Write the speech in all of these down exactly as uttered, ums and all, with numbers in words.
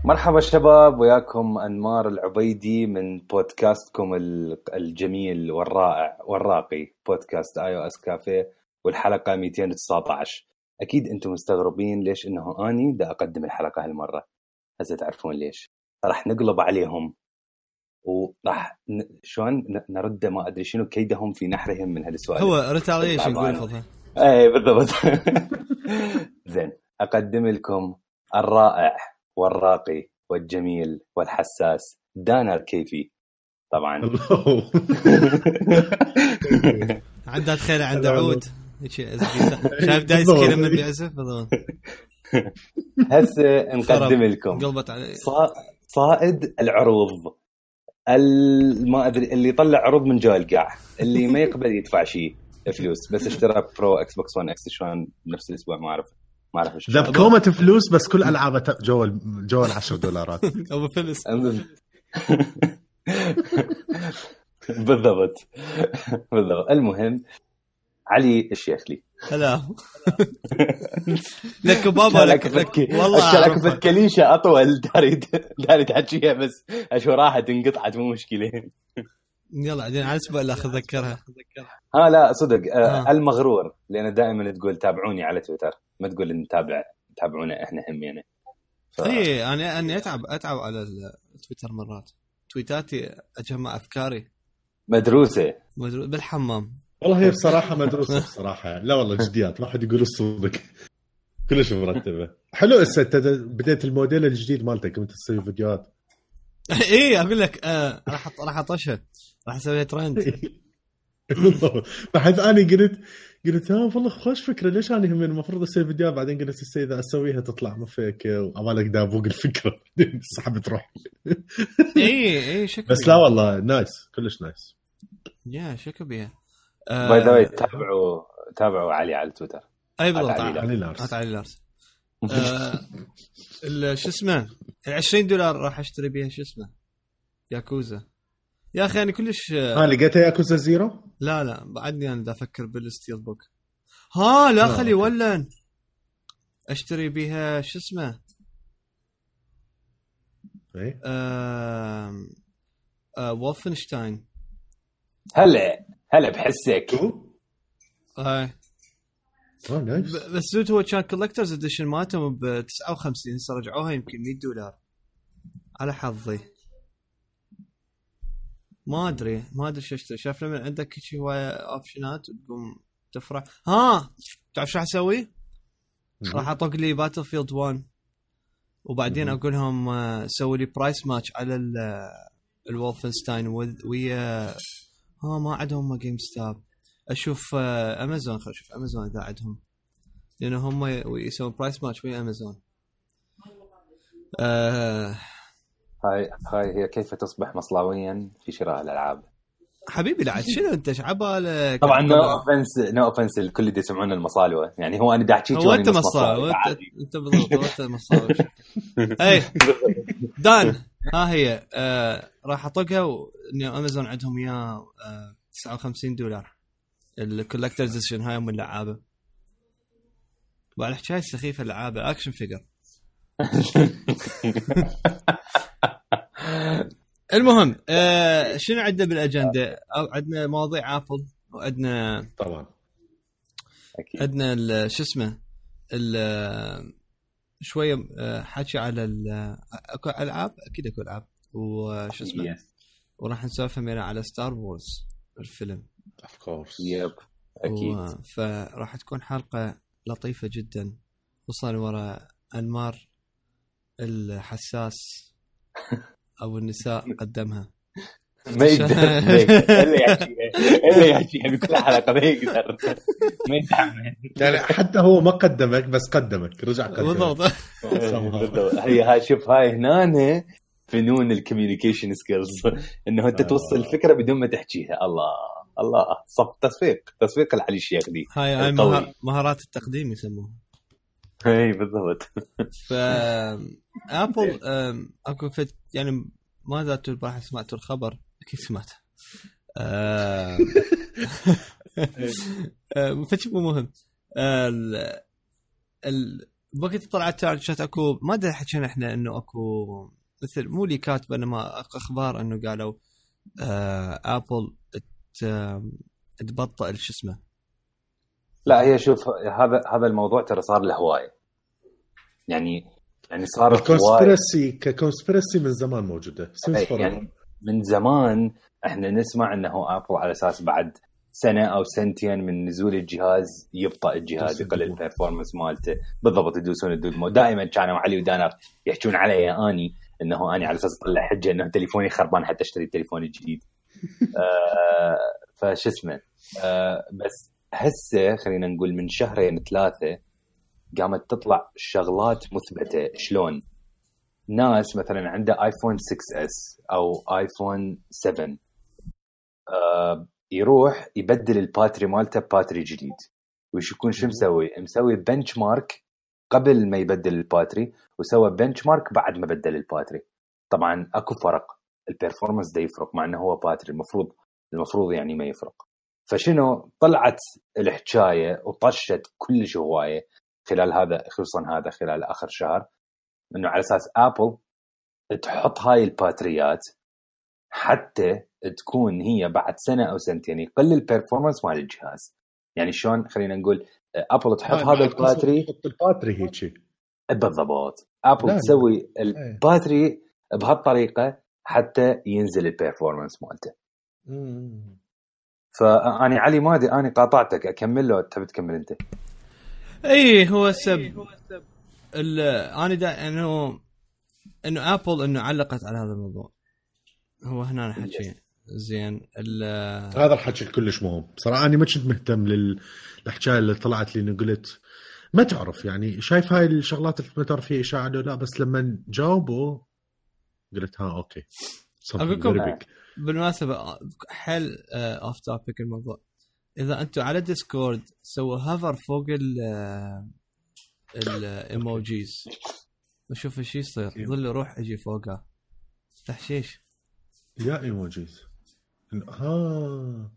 مرحبا شباب، وياكم أنمار العبيدي من بودكاستكم الجميل والرائع والراقي بودكاست آي أو إس كافيه، والحلقة مئتين وتسعة عشر. أكيد أنتم مستغربين ليش إنه أني دا أقدم الحلقة هالمرة. هسه تعرفون ليش. راح نقلب عليهم وراح ن... شلون نرد ما أدري شنو كيدهم في نحرهم من هالسؤال. هو ريتاليشن نقول فضها. أي بالضبط. زين، أقدم لكم الرائع والراقي والجميل والحساس دانا الكيفي. طبعا عنده خير عنده عود شايف دايس كذا من بيعزف بالضبط. هسه نقدم لكم صائد العروض، ما ادري اللي يطلع عروض من جو القاع، اللي ما يقبل يدفع شيء فلوس، بس اشترى برو اكس بوكس ون اكس شلون نفس الاسبوع ما اعرف ما اعرف ايش ذا كومه فلوس، بس كل العابه جو جو العشر دولارات ابو فلس. بالضبط بالضبط. المهم علي الشيخ لي هلا لك بابا لك, لك والله شلكفة كليشة أطول داري داري تحكيها، بس أشو راحت انقطعت مو مشكلة. يلا عدين على الأسبوع اللي أتذكرها. ها لا صدق آه. المغرور، لأن دائما تقول تابعوني على تويتر، ما تقول نتابع تابعونا إحنا هم يعني. ف... إيه أنا أنا أتعب أتعب على التويتر مرات، تويتاتي أجمع أفكاري مدروسة مدروس بالحمام. والله هي بصراحة مدروسة بصراحة يعني. لا والله جديات، ما حد يقول الصدق، كلش مرتبة. حلو. هسه بديت الموديل الجديد مالتك كنت تسوي فيديوهات. ايه اقول لك آه راح راح اطشها، راح اسوي ترند. بحيث اني قلت قلت ها والله خوش فكرة، ليش انا هم المفروض اسوي فيديوهات، بعدين قلت السي اذا اسويها تطلع ما فيك وعمالك دابوق الفكرة سحبت روح. ايه ايه شكل بس لا والله نايس، كلش نايس. يا شكل بيها. باي ذا واي تابعوا تابعوا علي على تويتر. اي بالضبط علي لارس. علي لارس. شو اسمه العشرين دولار راح اشتري بيها شو اسمه ياكوزا. يا اخي انا كلش ها لقيتها ياكوزا زيرو. لا لا بعدني انا دا افكر بالستيل بوك. ها لا خلي ولا اشتري بيها شو اسمه ايه آه... آه... وولفنشتاين. هلا هلا بحسك. اي بس زود هو كان كولكترز اديشن مالتهم ب تسعة وخمسين، هسه رجعوها يمكن مية دولار على حظي. ما ادري ما ادري شو اشتري. شايف لما عندك شيء هوايه اوبشنات تقوم تفرح. ها تعرف شو اسوي؟ راح اطق لي باتل فيلد واحد وبعدين اقول لهم سووا لي برايس ماتش على الولفنستاين ويا ها ما عندهم جيم ستاب. اشوف امازون، خل اشوف امازون اذا عندهم، لانه هم يسوون برايس ماتش ويا امازون. آه هاي هاي هي كيف تصبح مصلاويا في شراء الالعاب. حبيبي لا شنو انت شعبالك. طبعا نو اوفنس نو اوفنس الكل دي يسمعون المصالوه، يعني هو انا دا احكي هو انت مصالوه انت بالضبط انت مصالوه. اي دان ها هي آه راح اطقها انه امازون عندهم يا آه تسعة وخمسين دولار الكولكترز اديشن هاي من اللعابه. وعلى حكايه سخيفه اللعابه اكشن فيجر. المهم آه شنو عندنا بالاجنده؟ عندنا مواضيع ابل وعندنا طبعا اكيد عندنا شو اسمه شويه حكي على اكو العاب، اكيد اكو العاب وشو اسمه yes. وراح نسولف ميرا على ستار وورز الفيلم اوف كورس. يب اكيد. فراح تكون حلقه لطيفه جدا، خصوصا ورا انمار الحساس او النساء قدمها. ما يقدر اللي يحكيها اللي يحكيها بكل حلقه ما يقدر ما يتحمل يعني. حتى هو ما قدمك بس قدمك رجع قدمك بالضبط. هي هاي شوف هاي هنا فنون الكوميونيكيشن سكيلز، انه انت توصل الفكره بدون ما تحكيها. الله الله صف تصفيق تصفيق العلي الشيخ دي. هاي هاي مهارات التقديم يسموها. اي بالضبط. ف ابل اكو فت يعني ماذا تبغى سمعتوا الخبر؟ اكيد سمعت. آه... فتش مو مهم. ال... ال... بوقت طلعت شات اكو ما ادري حكينا احنا انه اكو مثل مو لي كاتب انما اخبار انه قالوا آه ابل تبطئ شو اسمه. لا هي شوف هذا هذا الموضوع ترى صار له هوايه يعني يعني صار الكونسبيرسي ككونسبيرسي من زمان موجوده يعني من زمان احنا نسمع انه ابل على اساس بعد سنه او سنتين من نزول الجهاز يبطأ الجهاز يقلل البرفورمانس مالته بالضبط يدوسون الدود. دائما كانوا علي ودانر يحكون علي اني انه اني على اساس اطلع حجه انه تليفوني خربان حتى اشتري التليفون الجديد. آه فش اسمه آه بس هسه خلينا نقول من شهرين ثلاثه قامت تطلع شغلات مثبته. شلون ناس مثلا عنده ايفون ستة اس او ايفون سبعة آه يروح يبدل الباتري مالته باتري جديد وش يكون شو مسوي مسوي بنش مارك قبل ما يبدل الباتري وسوى بنش مارك بعد ما بدل الباتري. طبعا اكو فرق البرفورمانس ده يفرق مع انه هو باتري المفروض المفروض يعني ما يفرق. فشنو طلعت الحكايه وطشت كل هوايه خلال هذا خصوصا هذا خلال اخر شهر انه على اساس ابل تحط هاي الباتريات حتى تكون هي بعد سنه او سنتين يقلل البرفورمانس مال الجهاز. يعني شلون خلينا نقول ابل تحط هذا الباتري تحط الباتري هيك بالضبط ابل تسوي الباتري بهالطريقه حتى ينزل البرفورمانس مالته. فاني علي ما ادري اني قاطعتك اكمل له تبي تكمل انت؟ اي هو السبب انا دا انه انه ابل انه علقت على هذا الموضوع هو هنا نحكي زين. هذا الحكي كلش مهم بصراحه. انا ما كنت مهتم للحكايه اللي طلعت لي قلت ما تعرف يعني شايف هاي الشغلات اللي ما تعرف فيها اشاعه لا بس لما جاوبوا قلت ها اوكي اقولكم بالمناسبه حل اوف توبيك الموضوع. اذا انتم على ديسكورد سووا هافر فوق ال الايموجيز وشوف ايش يصير ظل روح اجي فوقها تحشيش يا ايموجيز ها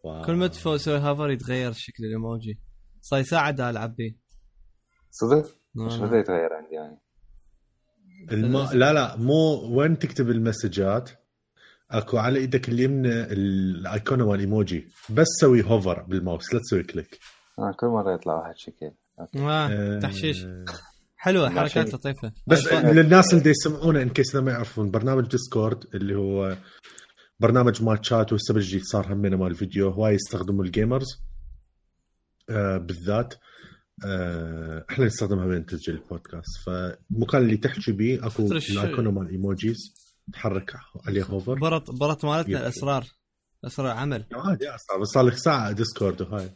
واو. كل ما تسوي هافر يتغير شكل الايموجي. صار ساعه دا العب بيه صدق مش بده يتغير عندي يعني الم... لا لا مو وين تكتب المسجات اكو على ايدك اليمنى الايقونه والايموجي بس سوي هوفر بالماوس لا تسوي كليك. اه كل مره يطلع واحد شكل اوكي آه. تحشيش حلوه حركات لطيفه. بس للناس اللي يسمعونا ان كيس ما يعرفون برنامج ديسكورد اللي هو برنامج ماتشات والسبب الجديد صار همنا مال الفيديو هواي يستخدموا الجيمرز آه بالذات آه احنا نستخدمها بين تسجيل البودكاست. فالمكان اللي تحكي بيه اكو الايقونه مال ايموجيز تحرك عليه هوفر. برط برط مالتنا الاسرار اسرار عمل عادي اصلا بس صار لك ساعه ديسكورد وهاي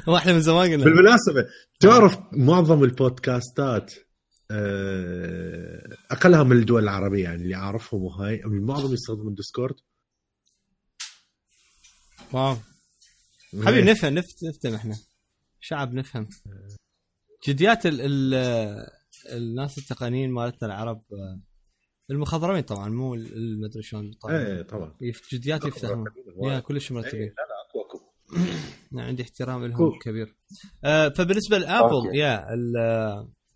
هو احنا من زمان قلنا. بالمناسبه تعرف معظم البودكاستات اقلها من الدول العربيه يعني اللي اعرفهم وهاي معظم يستخدمون ديسكورد. واو حبيبي نفهم نفت نفتهم احنا شعب نفهم جديات ال ال الناس التقنيين مالتنا العرب المخضرمين طبعا مو المدري شلون طبعا ايه طبعا جديات يفتحون يا كلش مرتبين. ايه لا لا اكو اكو عندي احترام لهم كبير. آه فبالنسبه لابل يا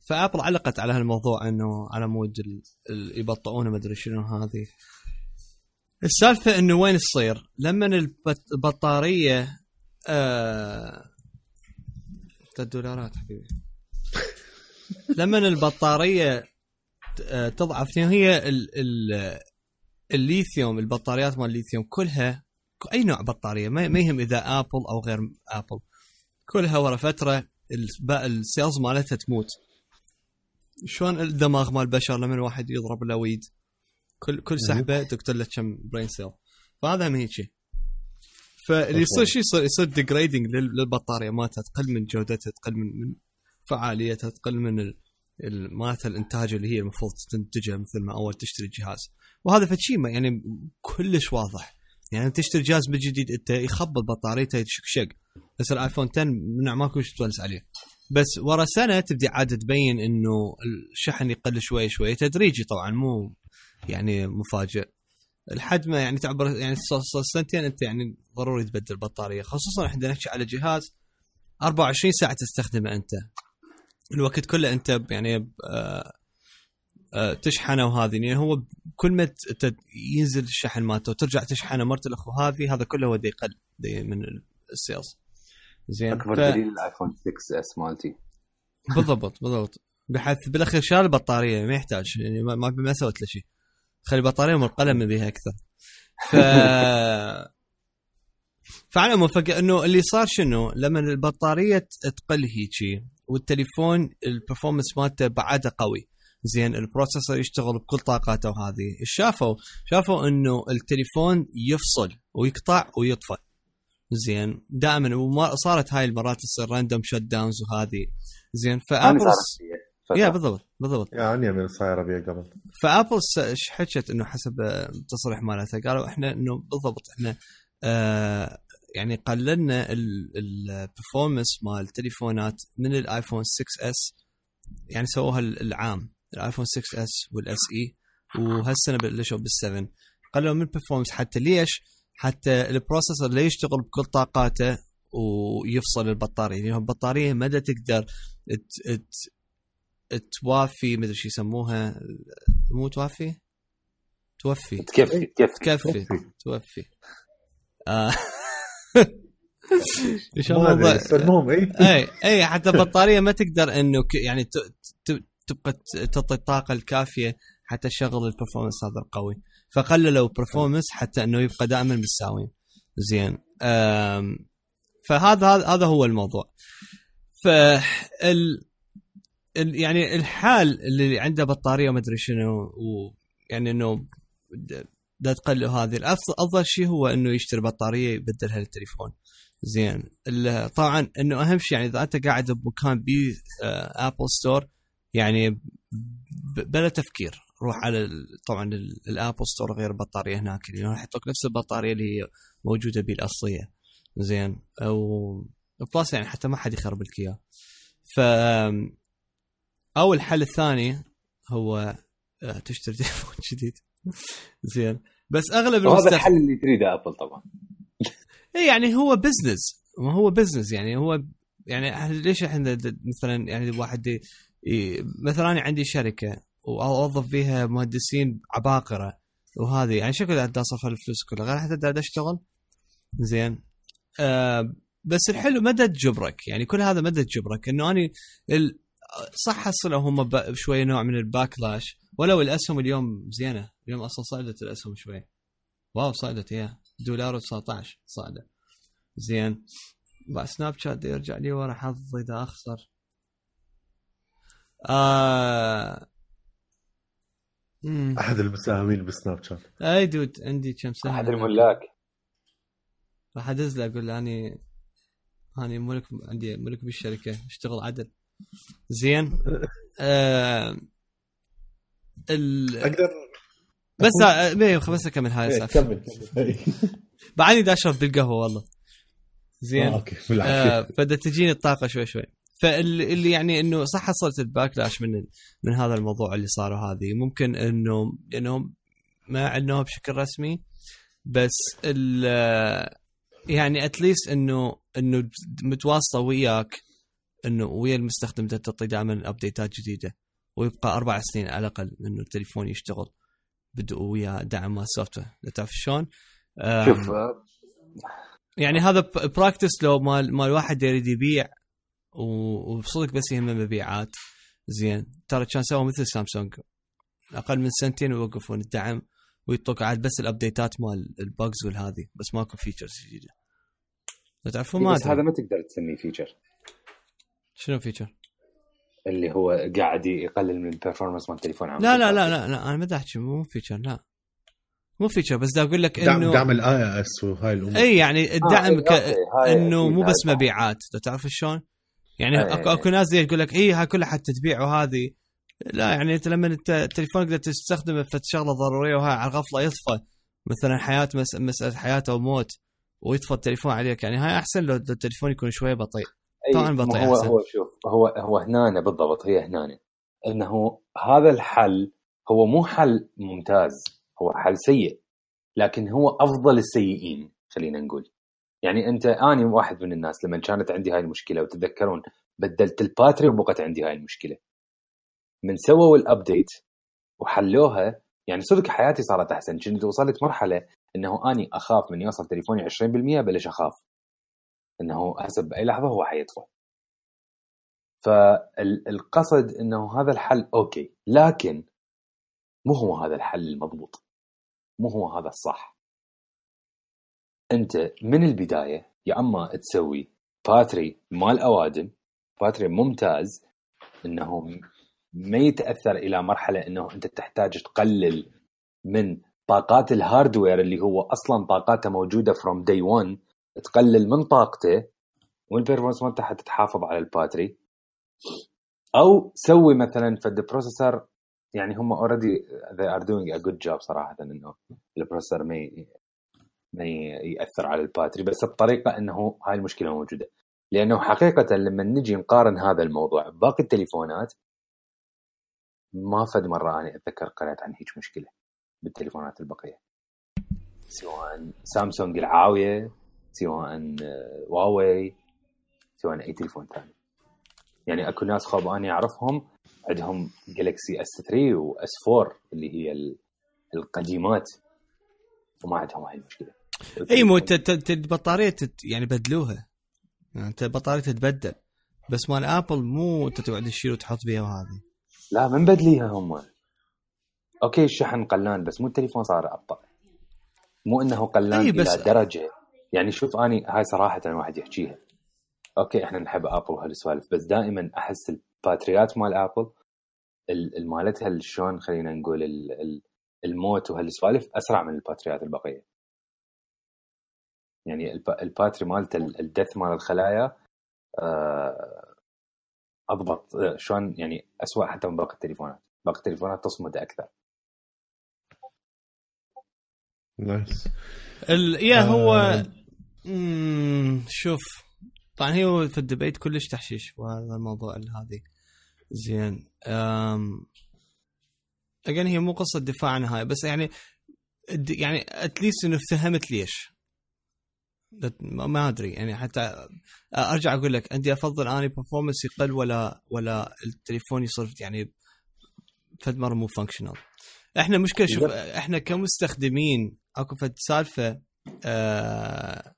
فابل علقت على هالموضوع انه على مود يبطئونه ما ادري شنو هذه السالفه انه وين تصير لما البطاريه آه الدولارات حبيبي لما البطاريه تضعف هي ال ال الليثيوم البطاريات مال الليثيوم كلها اي نوع بطاريه ما يهم اذا ابل او غير ابل كلها ورا فتره السيلز مالتها تموت. شلون الدماغ مال البشر لما الواحد يضرب له ويد كل كل سحبه تقتل له كم برين سيل. فهذا من هيك شيء فاللي يصير شيء يصير يصير ديجريدنج للبطاريه مالتها تقل من جودتها تقل من فعاليتها تقل من مالتها الانتاج اللي هي المفروض تنتجه مثل ما اول تشتري الجهاز. وهذا فشي يعني كلش واضح يعني تشتري جهاز جديد انت يخبط بطاريته يشكشق بس الايفون عشرة من ماكو شيء تونس عليه بس ورا سنه تبدي عاده تبين انه الشحن يقل شوي شوي تدريجي طبعا مو يعني مفاجئ لحد ما يعني تعبر يعني سنتين انت يعني ضروري تبدل بطاريه خصوصا احنا نحكي على جهاز أربعة وعشرين ساعه تستخدمه انت الوقت كله انت يعني آه آه تشحنه وهذه يعني هو كل ما ينزل الشحن مالته وترجع تشحنه مرة الاخو هذه هذا كله هو دي يقل دي من السيلز. زين اكبر ف... دليل الايفون ستة اس مالتي. بالضبط بالضبط بحيث بالاخير شال البطاريه ما يحتاج يعني ما ما سويت له شيء خلي البطاريه والقلم بها اكثر. ف فعلى مفاجأة انه اللي صار شنو لما البطاريه تقل هيجي والتليفون البرفورمانس مالته بعده قوي زين البروسيسور يشتغل بكل طاقاته وهذه شافوا شافوا انه التليفون يفصل ويقطع ويطفى زين دائما وما صارت هاي المرات تصير راندوم شت داونز وهذه زين فابل يا بالضبط بالضبط يعني من صايره بيه قبل فابل حكت انه حسب التصريح مالتها قالوا احنا انه بالضبط احنا آه يعني قللنا البرفورمانس مال التليفونات من الايفون ستة اس يعني سووها العام الايفون ستة اس والاس اي وهالسنه بلشوا بالسفن قللوا من البرفورمانس حتى ليش حتى البروسيسور لا يشتغل بكل طاقاته ويفصل البطاريه يعني البطاريه ما تقدر توافي مدري شو يسموها مو توافي توفي تكفي تكفي توفي آه. المهم اي اي حتى البطاريه ما تقدر انه يعني تبقى تعطي الطاقه الكافيه حتى تشغل البرفورمانس هذا القوي فقللوا البرفورمانس حتى انه يبقى دائما بالساوين زين فهذا هذا هو الموضوع. فال يعني الحال اللي عنده بطاريه وما ادري شنو ويعني انه دا تقلل هذه الافضل افضل شيء هو انه يشتري بطاريه يبدلها للتليفون زين. طبعا انه اهم شيء يعني اذا انت قاعد بمكان بي ابل ستور يعني بلا تفكير روح على طبعا الابل ستور غير البطاريه هناك يعني راح يعطوك نفس البطاريه اللي هي موجوده بالاصليه زين او بلس يعني حتى ما حد يخرب لك اياه. ف او الحل الثاني هو تشتري تليفون جديد زين بس اغلب هذا الحل اللي تريده ابل طبعا. اي يعني هو بزنس ما هو بزنس يعني هو يعني ليش احنا مثلا يعني واحد مثلا أنا عندي شركه واوظف فيها مهندسين عباقره وهذه يعني شكل قاعد اصرف الفلوس كلها غير حتى قاعد اشتغل زين. آه بس الحلو مدى تجبرك يعني كل هذا مدى تجبرك انه اني صح حصلوا هم شويه نوع من الباكلاش ولو الاسهم اليوم زينه اليوم اصلا صعدت الاسهم شوي واو صعدت يا دولار وتسعة عشر صعدة زين. بعد سناب شات يرجع لي ورا حظي اذا اخسر. آه... احد المساهمين بسناب شات اي دود عندي كم سهم احد الملاك راح ادز له اقول له اني اني ملك عندي ملك بالشركه اشتغل عدل زين. آه... ال... اقدر بس بيه بس اكمل هاي السالفه بعدني دا اشرب بالقهوه والله زين. آه، اوكي آه فدا تجيني الطاقه شوي شوي. فاللي يعني انه صح حصلت الباكلاش من من هذا الموضوع اللي صار هذه ممكن انه انهم ما عنوها بشكل رسمي بس ال يعني اتليست انه انه متواصله وياك انه ويا المستخدم تعطي دائما ابديتات جديده ويبقى اربع سنين على الاقل انه التليفون يشتغل بدو ويا دعم مال السوفت وير. تعرف شلون؟ شوف يعني هذا براكتس لو مال مال واحد يريد يبيع وبصدق بس يهمه مبيعات زين ترى كان سووا مثل سامسونج اقل من سنتين ويوقفون الدعم ويطلق عاد بس الابديتات مال الباجز والهذه بس ماكو فيتشرز جديده. تعرفون ما بس هذا ما تقدر تسميه فيتشر. شنو فيتشر؟ اللي هو قاعد يقلل من البرفورمانس مال التليفون عام. لا لا لا لا, لا انا ما بدي احكي مو فيتشر لا مو فيتشر بس دا اقول لك انه انه دعم الاي اس وهاي الامور اي يعني الدعم آه ك... انه مو بس مبيعات تعرف شلون يعني آه اكو اكو ناس يقول لك اي هاي كلها حتى تبيع وهذه لا يعني انت لما انت التليفون تقدر تستخدمه في شغله ضروريه وهاي على الغفله يطفى مثلا حياه مس... مساله حياه او موت ويطفى التليفون عليك يعني هاي احسن لو التليفون يكون شويه بطيء طبعا بطيء هو أحسن. هو شوف هو هو هنا بالضبط هي هنا انه هذا الحل هو مو حل ممتاز هو حل سيء لكن هو افضل السيئين خلينا نقول. يعني انت اني واحد من الناس لما كانت عندي هاي المشكله وتتذكرون بدلت الباتري وبقت عندي هاي المشكله. من سووا الابديت وحلوها يعني صدق حياتي صارت احسن. كنت وصلت مرحله انه اني اخاف من يوصل تليفوني عشرين بالمية بلش اخاف انه حسب باي لحظه هو حيطفى. فالقصد انه هذا الحل اوكي، لكن مو هو هذا الحل المضبوط، مو هو هذا الصح. انت من البدايه يا اما تسوي باتري مال اوادم، باتري ممتاز انه ما يتاثر الى مرحله انه انت تحتاج تقلل من طاقات الهاردوير اللي هو اصلا طاقاته موجوده from day one، تقلل من طاقته والبرفورمانس مالته حتى تحافظ على الباتري. او سوي مثلا فد بروسيسور يعني هم already they are doing a good job صراحه انه البروسيسور ما ما ياثر على الباتري، بس بطريقه انه هاي المشكله موجوده. لانه حقيقه لما نجي نقارن هذا الموضوع باقي التليفونات، ما فد مره انا اتذكر قرأت عن هيك مشكله بالتليفونات البقيه، سواء سامسونج العاويه، سواء هواوي، سواء اي تليفون ثاني. يعني اكو ناس خاب اني اعرفهم عندهم جالكسي اس ثري واس فور اللي هي القديمات وما عندهم هاي المشكله. اي مو البطاريه يعني بدلوها، يعني انت البطاريه تتبدل، بس مال ابل مو انت تقعد تشيل وتحط بيها وهذه. لا من بدليها هم. اوكي الشحن قلان بس مو التليفون صار ابطا، مو انه قلان الى درجه. يعني شوف اني هاي صراحه واحد يحكيها، اوكي احنا نحب ابل وهالسوالف، بس دائما احس الباتريات مال ابل المالتها شلون خلينا نقول الموت وهالسوالف اسرع من الباتريات البقيه. يعني الباتري مالته الدث مال الخلايا اضبط شلون، يعني اسوأ حتى من باقي التليفونات. باقي التليفونات تصمد اكثر. نايس. يا هو امم شوف طبعا هو في الدبيت كلش تحشيش وهذا الموضوع هذه زين. امم اجين هي مو قصه دفاع عن هاي، بس يعني يعني اتليست انه فهمت ليش ما ادري. يعني حتى ارجع اقول لك عندي افضل اني برفورمانس يقل ولا ولا التليفون يصير يعني فد مره مو فانكشنال. احنا مشكله شوف احنا كمستخدمين اكو فد سالفه آه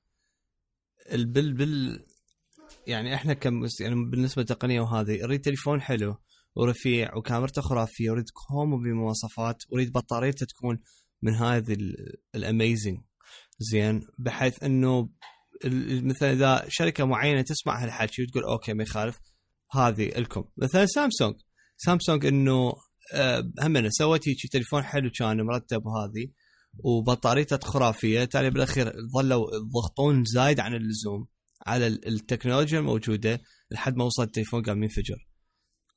البل بال يعني احنا كم يعني بالنسبه للتقنيه وهذه اريد تليفون حلو ورفيع وكاميرته خرافيه، اريد كوم بمواصفات، اريد بطاريته تكون من هذه الاميزنج زين، بحيث انه مثلا اذا شركه معينه تسمع هالحكي وتقول اوكي ما يخالف هذه لكم. مثلا سامسونج سامسونج انه همنا سوت هيك تليفون حلو كان مرتب وهذه وبطاريته خرافيه، تالي بالاخير ظلوا يضغطون زايد عن اللزوم على التكنولوجيا الموجوده لحد ما وصل التليفون قام ينفجر.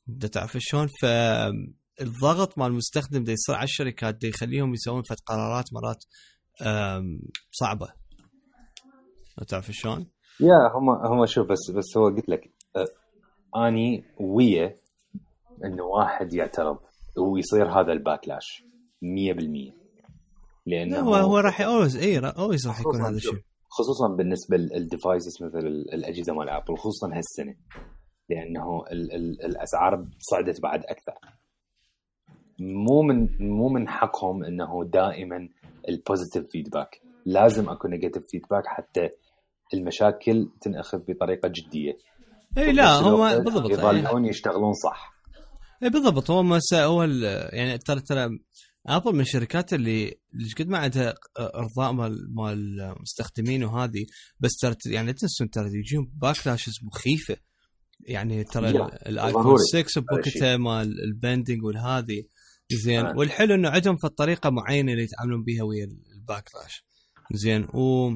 انت تعرف شلون؟ فالضغط مال المستخدم ده يصير على الشركات ده يخليهم يسوون فت قرارات مرات صعبه. تعرف شلون؟ يا هم هم شوف بس بس هو قلت لك اني ويا انه واحد يعترض ويصير هذا الباكلاش مية بالمية، لانه هو هو راح اولويز اي اولويز راح يكون هذا الشيء، خصوصا بالنسبه للديفايسز مثل الاجهزه مال ابل، خصوصا هالسنه لانه ال ال الاسعار صعدت بعد اكثر. مو من مو من حقهم انه دائما البوزيتيف فيدباك، لازم اكو نيجاتيف فيدباك حتى المشاكل تنأخذ بطريقه جديه. اي لا هم بالضبط يظلون يشتغلون صح. اي بالضبط. هو ما هو يعني ترى ترى ابل من الشركات اللي اللي قد ما عندها ارضاء مال مال المستخدمين وهذه، بس ترى يعني تنسون ترى يجيهم باكلاشز مخيفه. يعني ترى الايفون ستة بوكيته مال البندنج والهذه زين آه. والحلو انه عندهم في الطريقه معينه اللي يتعاملون بها ويا الباكلاش زين. و...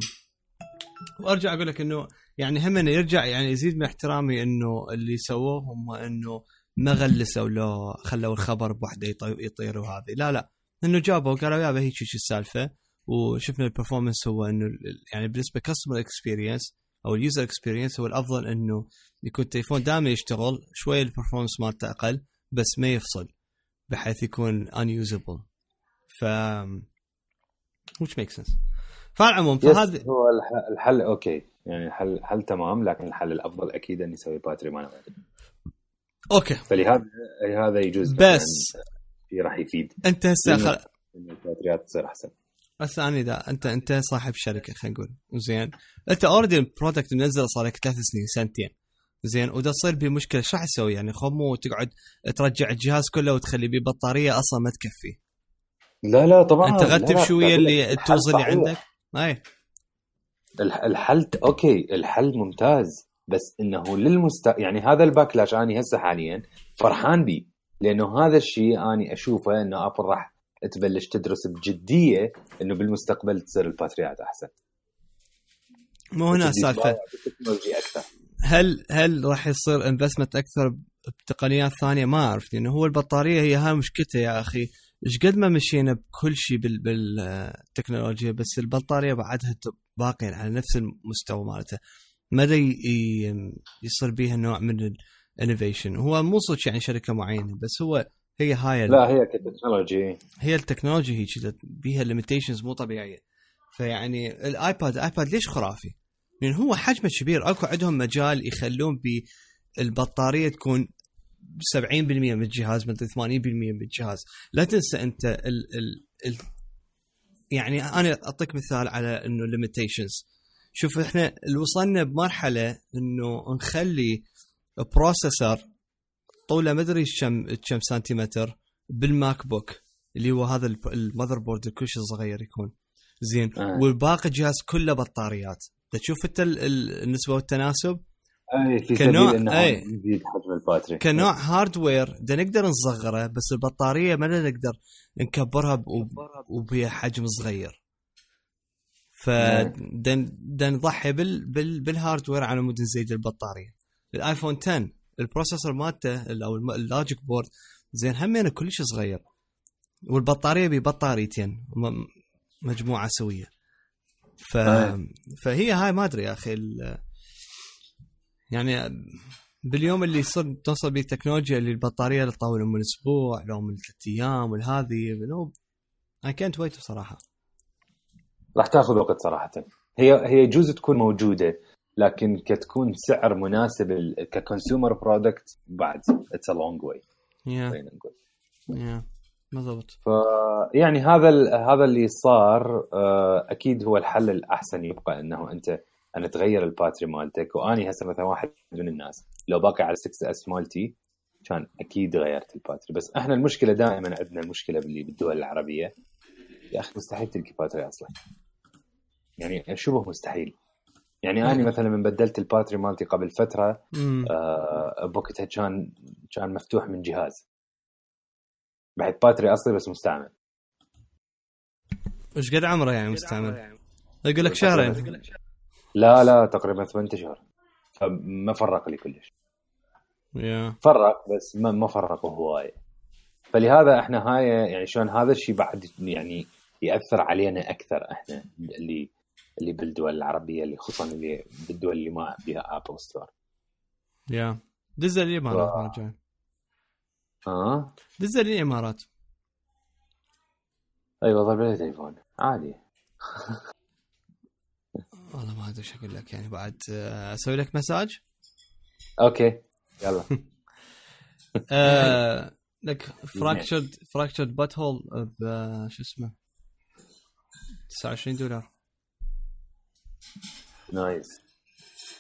وارجع اقول لك انه يعني هم يرجع يعني يزيد من احترامي انه اللي سووه هم انه ما غلسوا لو خلوا الخبر بوحده يطير وهذه، لا لا انه جابوا قالوا يابا هيك شيء السالفه. وشفنا البرفورمانس هو انه يعني بالنسبه كاستمر اكسبيرينس او اليوزر اكسبيرينس هو الافضل انه يكون التليفون دائما يشتغل شويه البرفورمانس مالته اقل بس ما يفصل بحيث يكون unusable. ف which makes sense. فالعموم فهذا هو الحل. اوكي يعني الحل حل تمام، لكن الحل الافضل اكيد اني اسوي باتري ما نوعي. اوكي فلهذا هذا يجوز، بس في راح يفيد انت هسه خل... ان الباتريات تصير احسن. بس انا اذا انت انت صاحب شركه خلينا نقول زين، انت اوريدي البرودكت منزل صار لك ثلاث سنين سنتين زين، وده تصير بمشكله شو راح تسوي؟ يعني خمو تقعد ترجع الجهاز كله وتخلي بيه بطاريه اصلا ما تكفي. لا لا طبعا انت غتب شويه اللي التوز اللي عندك. اي الحل اوكي الحل ممتاز، بس انه للمست يعني هذا الباكلاش اني هسه حاليا فرحان بي، لانه هذا الشيء اني اشوفه انه ابل راح تبلش تدرس بجديه انه بالمستقبل تصير الباتريات احسن. مو هنا السالفه هل هل راح يصير انفستمنت اكثر بتقنيات ثانيه؟ ما اعرف، لانه هو البطاريه هي هاي مشكلته يا اخي. ايش قد ما مشينا بكل شيء بالتكنولوجيا، بس البطاريه بعدها باقيه على نفس المستوى مالته، مدى يصير بيها نوع من الانوفيشن. هو مو صدق يعني شركه معينه، بس هو هي هاي لا هي كتكنولوجي، هي التكنولوجيا هي كذا بيها ليميتيشنز مو طبيعيه. فيعني الايباد الايباد ليش خرافي؟ لان هو حجمه كبير، اكو عندهم مجال يخلون بالبطاريه تكون سبعين بالمية من الجهاز، من ثمانين بالمية من الجهاز. لا تنسى انت ال ال ال يعني انا اعطيك مثال على انه ليميتيشنز. شوف احنا وصلنا بمرحله انه نخلي بروسيسور طوله ما ادري كم كم سنتيمتر بالماك بوك اللي هو هذا المذر بورد كلش صغير يكون زين، آه. والباقي الجهاز كله بطاريات. تشوف انت النسبه والتناسب. اي في سبيل انه يزيد حجم الباتري كنوع هاردوير ده نقدر نصغره، بس البطاريه ما نقدر نكبرها وبها حجم صغير. فدن نضحي بال بال بالهاردوير على مود نزيد البطاريه. الايفون عشرة البروسيسور مالته او اللوجيك بورد زين همينه كلش صغير، والبطاريه ببطاريتين مجموعه سويه. ف... فهي هاي ما ادري يا اخي يعني باليوم اللي يصير توصل به التكنولوجيا اللي البطاريه تطول من اسبوع لو من ثلاث ايام والهذه نو اي كانت ويت بصراحه. راح تاخذ وقت صراحه. هي هي يجوز تكون موجوده، لكن كتكون سعر مناسب ككونسيومر برودكت بعد اتس ا لونج واي. يا يا بالضبط. ف يعني هذا هذا اللي صار اكيد هو الحل الاحسن، يبقى انه انت أنا تغير الباتري مالتك. وأني هسه مثلا واحد من الناس لو باقي على ستة إس مالتي كان أكيد غيرت الباتري. بس إحنا المشكلة دائما عندنا المشكلة باللي بالدول العربية يا أخي مستحيل تلقي باتري أصلا، يعني شبه مستحيل. يعني أنا مثلا من بدلت الباتري مالتي قبل فترة آه بوقتها كان كان مفتوح من جهاز بعد باتري أصلي بس مستعمل. وش قد عمره يعني مستعمل؟ يقول لك شهرين. لا لا تقريبا ثمانية أشهر، فما فرق لي كلش. yeah. فرق بس ما ما فرق هواية. فلهذا احنا هاي يعني شلون هذا الشيء بعد يعني يأثر علينا أكثر احنا اللي اللي بالدول العربية، اللي خصوصا اللي بالدول اللي ما بها آبل ستور. يا دز الإمارات ما جاي. اه دز الإمارات. أيوة ضرب لي تليفون عادي. والله ما ادري شو اقول لك، يعني بعد اسوي لك مساج. اوكي يلا. آه لك فراكشرد فراكشرد بات هول شو اسمه تسعة وعشرين دولار. نايس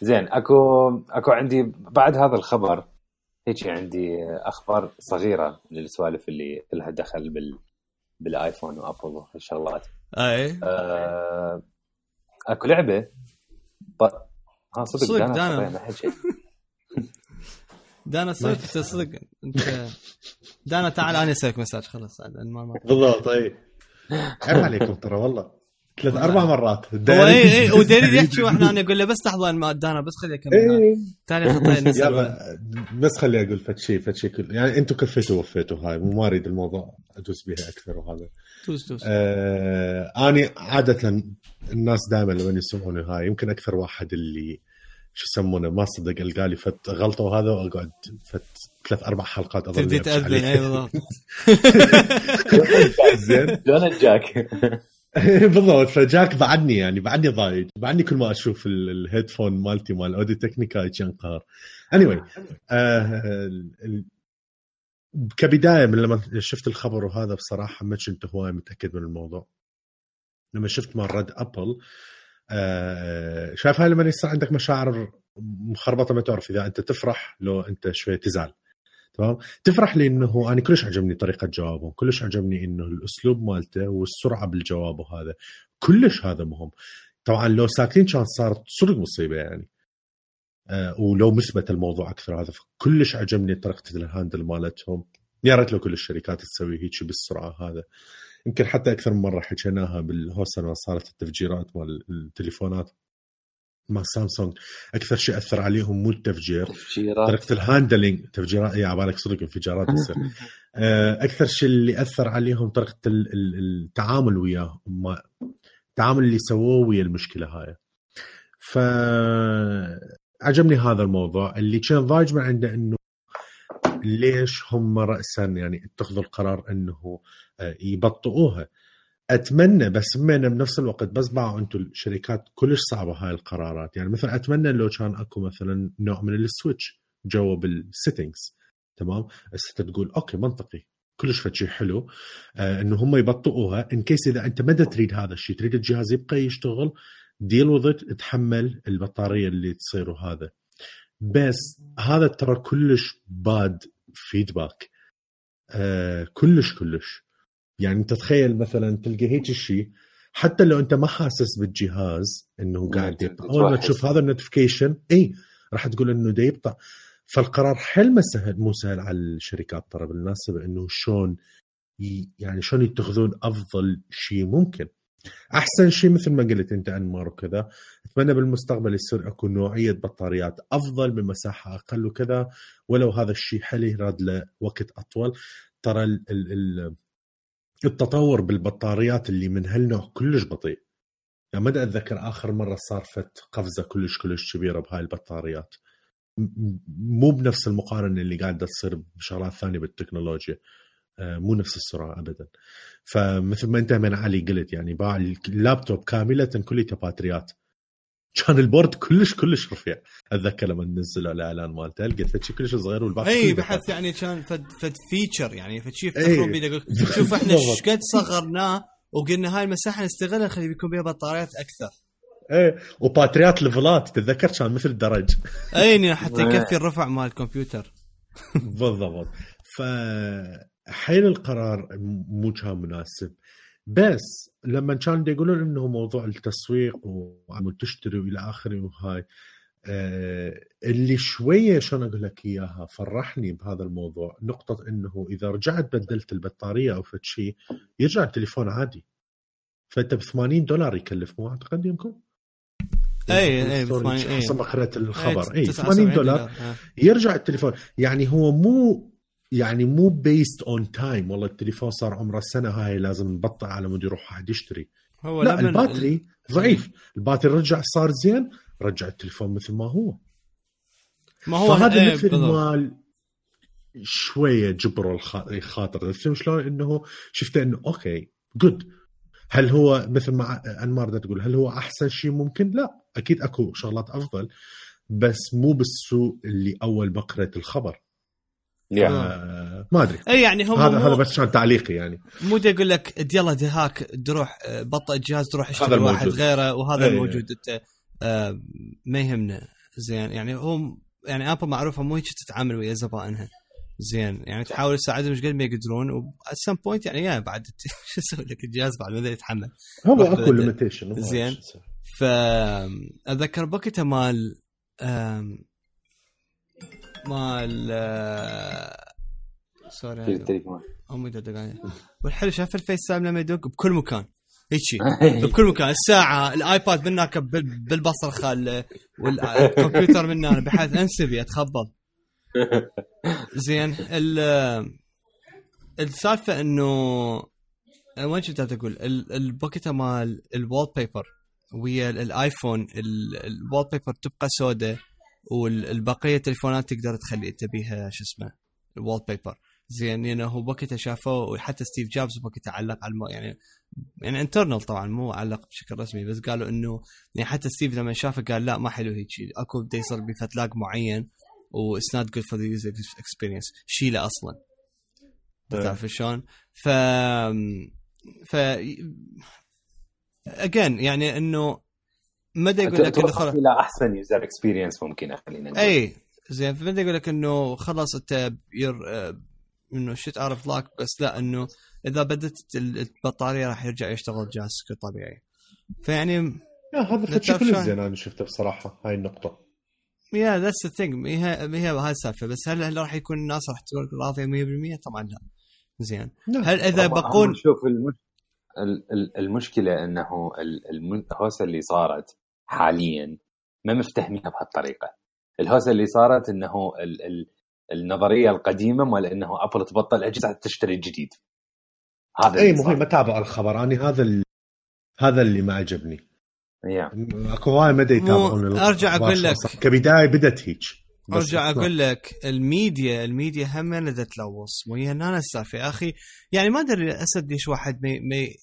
زين. اكو اكو عندي بعد هذا الخبر هيك عندي اخبار صغيره للسوالف اللي لها دخل بال بالايفون وابل والشغلات. اي آه اكو لعبه ب... ها صدق, صدق دانا, دانا. دانا صدق صدق انت دانا تعال انا اسويك مساج خلاص ما بالضبط. طيب عيب عليكم ترى والله ثلاث اربع مرات اي اي ودليل يحكي واحنا انا اقول له بس لحظه ما دانا بس خليه يكمل تاريخ يلا بس خليه اقول فد شيء فد شيء كل يعني انتم كفيتوا وفيتوا هاي مو ما اريد الموضوع ادوس بها اكثر. وهذا توس توس آه اني عاده الناس دائما لما يسمعوني هاي يمكن اكثر واحد اللي شو يسمونه ما صدق القالي فت غلطه وهذا واقعد فت ثلاث اربع حلقات اظل تبدي تاذن. اي بالضبط. زين شلون جاك بالضبط. فجاك بعدني يعني بعدني ضايج بعدني كل ما اشوف الهيدفون مالتي مال اودي تكنيكا ينقهر. anyway آه كبدايه من لما شفت الخبر وهذا بصراحه ما كنت هواي متاكد من الموضوع. لما شفت مال رد ابل آه شايف هاي لما يصير عندك مشاعر مخربطه ما تعرف اذا انت تفرح لو انت شويه تزعل. تمام. تفرح لانه انا كلش عجبني طريقه جوابه كلش عجبني انه الاسلوب مالته والسرعه بالجواب وهذا كلش هذا مهم. طبعا لو ساكتين كان صارت صدق مصيبه يعني آه ولو مثبت الموضوع اكثر. هذا كلش عجبني طريقه الهاندل مالتهم. يا ريت لو كل الشركات تسوي هيك بالسرعه. هذا يمكن حتى اكثر من مره حكيناها بالهوسه لما صارت التفجيرات مال التليفونات مع سامسونج. اكثر شيء اثر عليهم مو التفجير طريقه الهاندلنج. تفجيرات يا عبالك صدق انفجارات تصير. اكثر شيء اللي اثر عليهم طريقه التعامل وياه التعامل اللي سووه ويا المشكله هاي. فعجبني هذا الموضوع. اللي كان ضايج من عنده انه ليش هم رأسا يعني اتخذوا القرار انه يبطئوها. اتمنى بس من بنفس الوقت بس باعوا انتم الشركات كلش صعبه هاي القرارات. يعني مثلا اتمنى لو كان اكو مثلا نوع من السويتش جوا بالسيتنجز. تمام. بس تقول اوكي منطقي كلش فشي حلو آه انه هم يبطئوها ان كيس اذا انت ما تريد هذا الشيء تريد الجهاز يبقى يشتغل ديل وذ تحمل البطاريه اللي تصير. وهذا بس هذا ترى كلش باد فيدباك آه كلش كلش. يعني انت تخيل مثلا تلقى هيك الشيء حتى لو انت ما حاسس بالجهاز انه قاعد يبطأ اول ما تشوف هذا النوتيفيكيشن اي راح تقول انه ده يبطأ. فالقرار حل ما سهل مو سهل على الشركات ترى بالمناسبة انه شلون يعني شلون يتخذون افضل شيء ممكن احسن شيء مثل ما قلت انت انمار وكذا. اتمنى بالمستقبل يصير اكو نوعية بطاريات افضل بمساحة اقل وكذا ولو هذا الشيء حل يراد له وقت اطول. ترى ال ال التطور بالبطاريات اللي من هالنوع كلش بطيء. يعني ما أتذكر آخر مرة صارت قفزة كلش كلش كبيرة بهاي البطاريات مو بنفس المقارنة اللي قاعدة تصير بشغلات ثانية بالتكنولوجيا مو نفس السرعة أبدا. فمثل ما أنت من علي قلت يعني باع اللابتوب كاملة كلها باتريات كان البورد كلش كلش رفيع. اتذكر لما نزلوا الاعلان مالته لقيت فشي كلش صغير والباقي اي بحث يعني كان فد فد فيتشر يعني فشي يفتخرون بيه. شوف احنا ايش قد صغرناه وقلنا هاي المساحه نستغلها نخلي بيكون بها بطاريات اكثر. ايه وباتريات ليفلات تتذكر كان مثل درج اي حتى يكفي الرفع مال الكمبيوتر. بالضبط. فحين القرار مو كان مناسب. بس لما كان يقولون انه موضوع التسويق وعم تشتري والى اخره وهاي آه اللي شويه شلون اقول لك اياها فرحني بهذا الموضوع نقطه انه اذا رجعت بدلت البطاريه او فشي يرجع التليفون عادي. فانت ب ثمانين دولار يكلف مو اعتقد يمكن اي اي ثمانين حسب ما قرأت الخبر اي ثمانين دولار يرجع التليفون. يعني هو مو يعني مو بيست اون تايم والله التليفون صار عمره سنه هاي لازم نبطئ على مود يروح واحد يشتري. هو لا الباتري ال... ضعيف الباتري رجع صار زين رجع التليفون مثل ما هو. ما هو فهذا ايه مثل مال شويه جبروا الخاطر فهم شلون انه شفت انه اوكي جود. هل هو مثل ما انمار تقول هل هو احسن شيء ممكن؟ لا اكيد اكو شغلات افضل بس مو بالسوء اللي اول ما قرأت الخبر. آه ما ادري اي يعني هم هذا هذا بس كان تعليقي يعني مو بدي اقول لك يلا دهاك تروح بطئ الجهاز تروح اشتري واحد غيره وهذا الموجود انت آه ما يهمنا زين. يعني هم يعني ابل معروفه مو هيك تتعامل ويا زبائنها زين. يعني تحاول تساعدهم مش قد ما يقدرون و at some point يعني يا بعد شو اسوي لك الجهاز بعد ما يتحمل هو اكو ليميتيشن زين. فاذكر بوقتها مال مال سوري امي دقايق والحلو شاف الفيس تايم لما يدق بكل مكان هيك بكل مكان. الساعه الايباد منك بالبصر خال والكمبيوتر مننا بحيث انسبي اتخبط زين. السالفه انه وين كنت تقول البوكيت مال الوال بيبر ويا الايفون الوال بيبر تبقى سوداء والبقيه التليفونات تقدر تخلي انت بيها شو اسمه الوال بيبر زين يعني هو بوقتها شافوه وحتى ستيف جوبز بوقتها علق على الم... يعني يعني انترنال طبعا مو علق بشكل رسمي بس قالوا انه يعني حتى ستيف لما شافه قال لا ما حلو هيك شيء اكو بده يصير بفتلاق معين و it's not good for the user experience شيله اصلا تعرف شلون ف ف again يعني انه مدى يقول لك انه خلاص الى احسن يوزر اكسبيرينس ممكنه خلينا نقول اي زين فبدا يقول لك انه خلاص انت ير انه شيت اعرف لاك بس لا انه اذا بدت البطاريه راح يرجع يشتغل جهازك طبيعي فيعني يا هذا شيء زين انا شفته بصراحه هاي النقطه يا ذاتس ذا ثينج هي هي هاي السالفه بس هل هل راح يكون الناس راح تكون راضيه مية بالمية طبعا لا زين هل اذا بقول شوف المش... المشكله انه الهوسه اللي صارت حاليا ما مفتهمينها بهالطريقه الهوسه اللي صارت انه ال... ال... النظريه القديمه مال انه ابل تبطل اجهزه تشتري الجديد هذا اي مهم ما تابع الخبر اني هذا ال... هذا اللي ما عجبني yeah. اكو هواي مدى يتابعون ارجع اقول لك كبدايه بدت هيك ارجع اقول لك الميديا الميديا هم اللي تلوث وهي انا السالفه يا اخي يعني ما ادري اسد ليش واحد ما مي...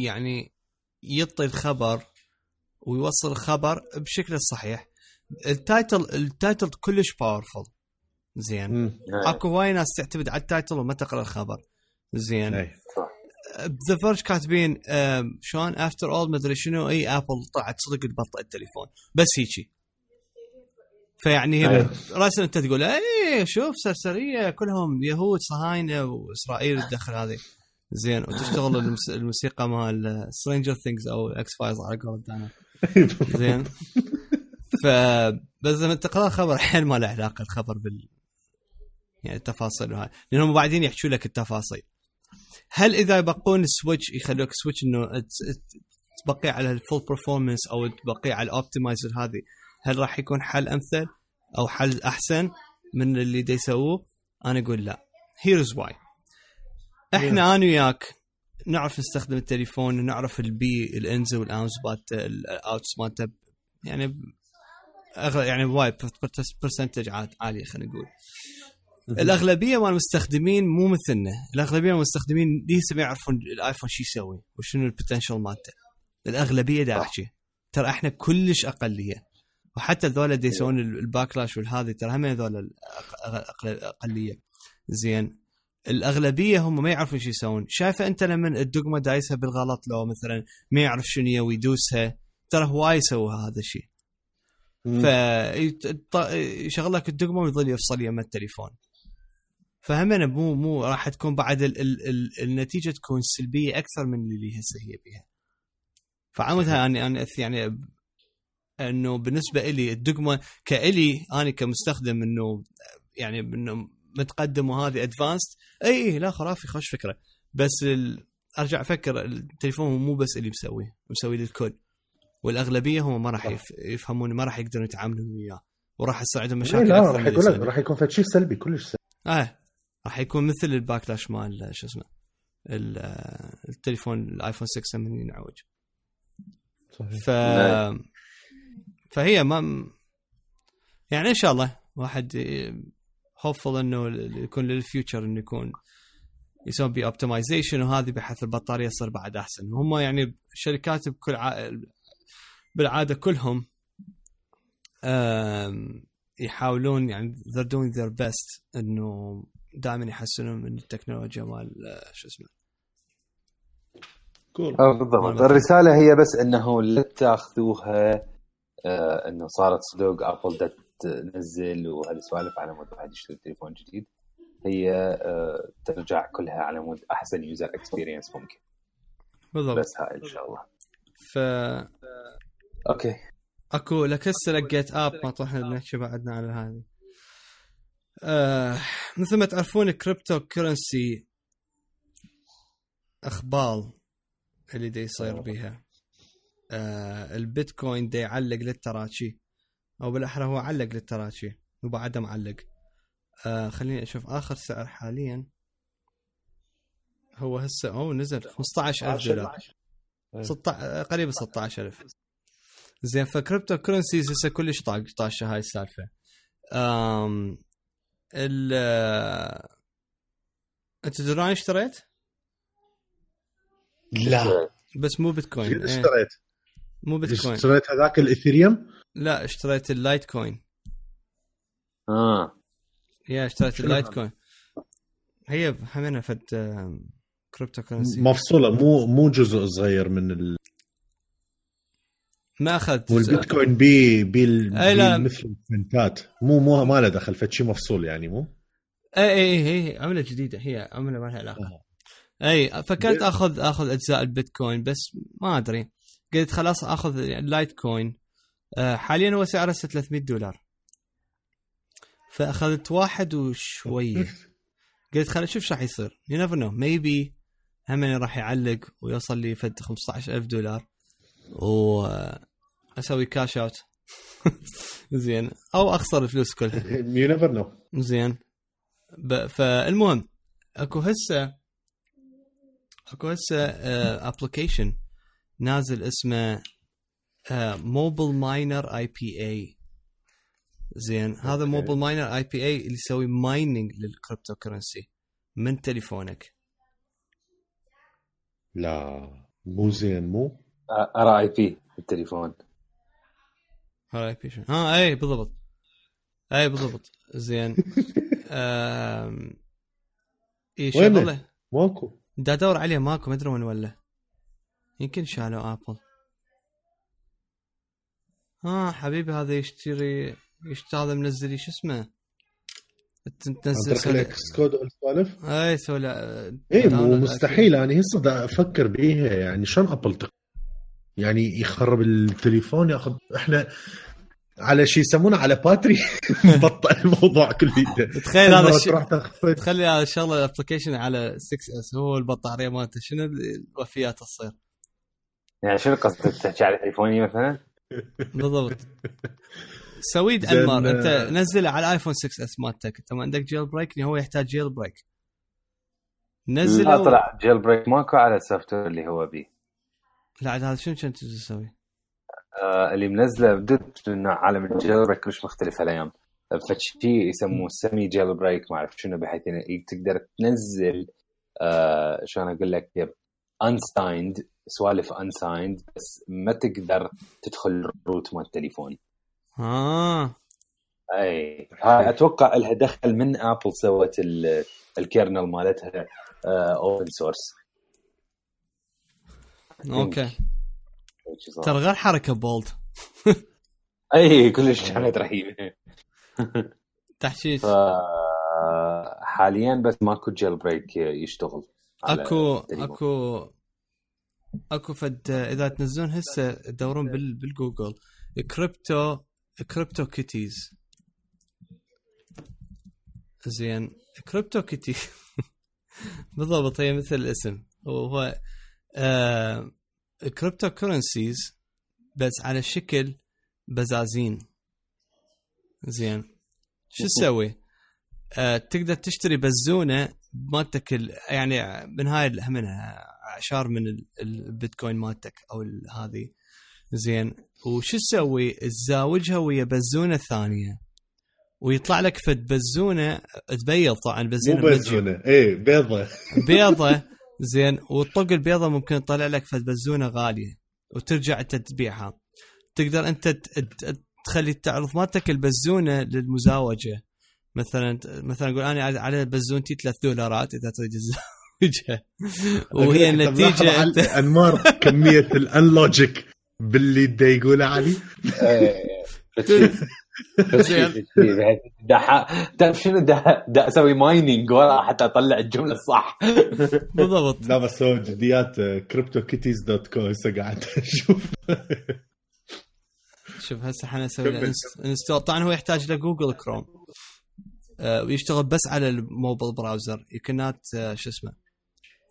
يعني يعطي الخبر ويوصل الخبر بشكل الصحيح التايتل التايتل كلش باورفul زين اكو هواي ناس تعتمد على التايتل وما تقرا الخبر زين ذا فيرج كاتبين شلون افتر اول ما ادري شنو اي ابل طلعت صدق تبطئ التليفون بس هيجي فيعني راسا انت تقول ايه شوف سرسريه كلهم يهود صهاينه واسرائيل تدخل هذه زين وتشتغل الموسيقى مال سترينجر ثينجز او اكس فايلز على قولة انا زين فبس لما تقرا خبر حين ما له علاقه الخبر بال يعني التفاصيل وهاي لانهم بعدين يحكوا لك التفاصيل هل اذا يبقون السويتش يخلوك سويتش انه تبقي على الفول برفورمانس او تبقي على الاوبتمايزر هذه هل راح يكون حل امثل او حل احسن من اللي دا يسووه انا اقول لا here's why احنا انا وياك نعرف نستخدم التليفون ونعرف البي الانز والاونز بات الاوتس مالته يعني يعني وايد برسنتج عالي خلينا نقول الاغلبيه من المستخدمين مو مثلنا الاغلبيه من المستخدمين لسه ما يعرفون الايفون شو يسوي وشنو البوتنشل مالته الاغلبيه دا احكي ترى احنا كلش اقليه وحتى ذولا دي يسوون الباكلاش والهذه ترى هم هذول اقليه زين الاغلبيه هم ما يعرفون شو يسوون شايفه انت لما الدقمه دايسها بالغلط لو مثلا ما يعرف شنو يسوي يدوسها ترى هو يسوي هذا الشيء فيشغل لك الدقمه ويظل يفصل يم التليفون فهمنا مو مو راح تكون بعد ال ال ال النتيجه تكون سلبيه اكثر من اللي هسه هي بها فعمدها اني انا يعني انه بالنسبه لي الدقمه كالي انا كمستخدم انه يعني انه متقدم وهذه ادفانسد اي لا خرافي خوش فكره بس ارجع افكر التليفون مو بس اللي مسوي مسوي للكل والاغلبيه هم ما راح يفهمون ما راح يقدرون يتعاملون وياه وراح يصير عندهم مشاكل لا راح يقول لك راح يكون في شيء سلبي كلش سلبي اه راح يكون مثل الباكلاش مال شو اسمه التليفون الايفون ستة من ينعوج ف فهي ما يعني ان شاء الله واحد هوفل انه يكون للفيوتشر انه يكون يسوي بي اوبتمايزيشن وهذه بحيث البطاريه تصير بعد احسن هم يعني الشركات بكل ع... بالعاده كلهم يحاولون يعني they're doing their best انه دائما يحسنون من التكنولوجيا مال شو اسمه cool. بالضبط الرساله هي بس انه لا تاخذوها آه انه صارت صدق ابل تنزل وهالسوالف على مود واحد يشتري تليفون جديد هي آه ترجع كلها على مود احسن يوزر اكسبيرينس ممكن بالضبط بس هاي ان شاء الله ف اوكي اكو لك هسه لقيت اب ما طحنا نحكي بعدنا على هذه آه مثل ما تعرفون الكريبتو كرنسي اخبال اللي دا يصير بيها آه البيتكوين دا يعلق للتراشي او بالاحرى هو علق للتراشي وبعده معلق آه خليني اشوف اخر سعر حاليا هو هسه او نزل خمسة عشر ألف دولار ستة قريب ستة عشر ألف زين فكريبتو كرنسيز هسه كلش طاشه هاي السالفه امم ال انت دراني اشتريت؟ لا بس مو بيتكوين. قد اشتريت؟ مو بيتكوين. اشتريت هذاك الاثيريوم؟ لا اشتريت اللايت كوين. اه يا اشتريت اللايت كوين. هي همنا فد كريبتو كرنسي مفصوله، مو مو جزء صغير من ال... ما اخذت والبيتكوين بي بي, أي لا. بي مثل الفنتات، مو مو ما له دخل فد شيء مفصول يعني. مو اي اي هي عمله جديده، هي عمله ما لها علاقه. آه. اي فكرت اخذ اخذ اجزاء البيتكوين بس ما ادري، قلت خلاص اخذ اللايت كوين. أه حاليا هو سعره ثلاثمية دولار، فاخذت واحد وشويه. قلت خلينا نشوف شو راح يصير. you never know maybe همني راح يعلق ويوصل لي فد خمسة عشر ألف دولار واسوي كاش اوت زين، او اخسر الفلوس كلها. you never know. زين ب... فالمهم اكو هسه اكو هسه ابلكيشن uh, نازل اسمه موبل ماينر اي بي اي. زين هذا موبل ماينر اي بي اي اللي يسوي مايننج للكريبتو كرنسي من تليفونك. لا مو زين. مو ار اي بي التليفون. ار اي بي شو؟ ها اي بالضبط، اي بالضبط. زين امم ايش شغله ماكو، دا ادور عليه ماكو، ما ادري وين ولا، يمكن شالوا ابل. ها حبيبي هذا يشتري يشتري هذا منزل لي شو اسمه، تنزل سكس كود والسوالف. اي سولا اي مو مستحيل. انا يعني هسه دا افكر بيها يعني شلون ابل تق... يعني يخرب التليفون ياخذ احنا على شيء يسمونه على باتري بطل الموضوع كله. تخيل هذا الشيء، تخلي هذا الشغله الابلكيشن على ستة اس هو البطاريه مالته شنو الوفيات تصير يعني. شنو قصدك تحكي على تليفوني مثلا؟ بالضبط. سويد انمار انت نزله على الايفون ستة اس مالتك، انت ما عندك جيل بريك، هو يحتاج جيل بريك نزله. لا طلع جيل بريك ماكو على السوفت وير اللي هو بيه. لا هذا شنو كنت تسوي؟ آه اللي منزله بدت انه عالم الجيل بريك مش مختلف الايام، فشي يسموه سيمي جيل بريك ما اعرف شنو، بحيث انه تقدر تنزل آه شلون اقول لك unsigned سوالف unsigned بس ما تقدر تدخل الروت مال التليفون. اه اي هاي اتوقع لها دخل من ابل سوت الكيرنل مالتها اوبن سورس. اوكي ترى غير حركه بولد. اي كلش كانت رهيبه تحشيش. حاليا بس ماكو جيل بريك يشتغل. اكو اكو اكو فد اذا تنزلون هسه تدورون بال بالجوجل كريبتو كريبتو كيتيز. زين كريبتو كيتي بالضبط هي مثل الاسم، وهو آه كريبتو كورنسيز بس على شكل بزازين. زين شو تسوي؟ آه تقدر تشتري بزونه مالتك يعني من هاي منها عشار من البيتكوين مالتك او هذه. زين وشو تسوي؟ تزاوجها ويا بزونه ثانيه ويطلع لك فد بزونه تبيض. طبعا بزونه مو بزونه ايه بيضه بيضه. زين وطق البيضه ممكن تطلع لك فد بزونه غاليه وترجع انت تبيعها. تقدر انت تخلي تعرض مالتك البزونه للمزاوجه. مثلا مثلا اقول انا على بزونتي ثلاثة دولارات اذا تريد تزوجها، وهي النتيجه انت انمار كميه الانلوجيك باللي دا يقول علي. تعرف شنو دا دا اسوي مايننج ورا حتى اطلع الجمله الصح. بالضبط. لا بس هو جديات كريبتو كيتيز دوت كو هسه قاعد اشوف. شوف هسه احنا نسوي انستول. طبعا هو يحتاج لجوجل كروم ويشتغل بس على الموبايل براوزر. you cannot uh, شو اسمه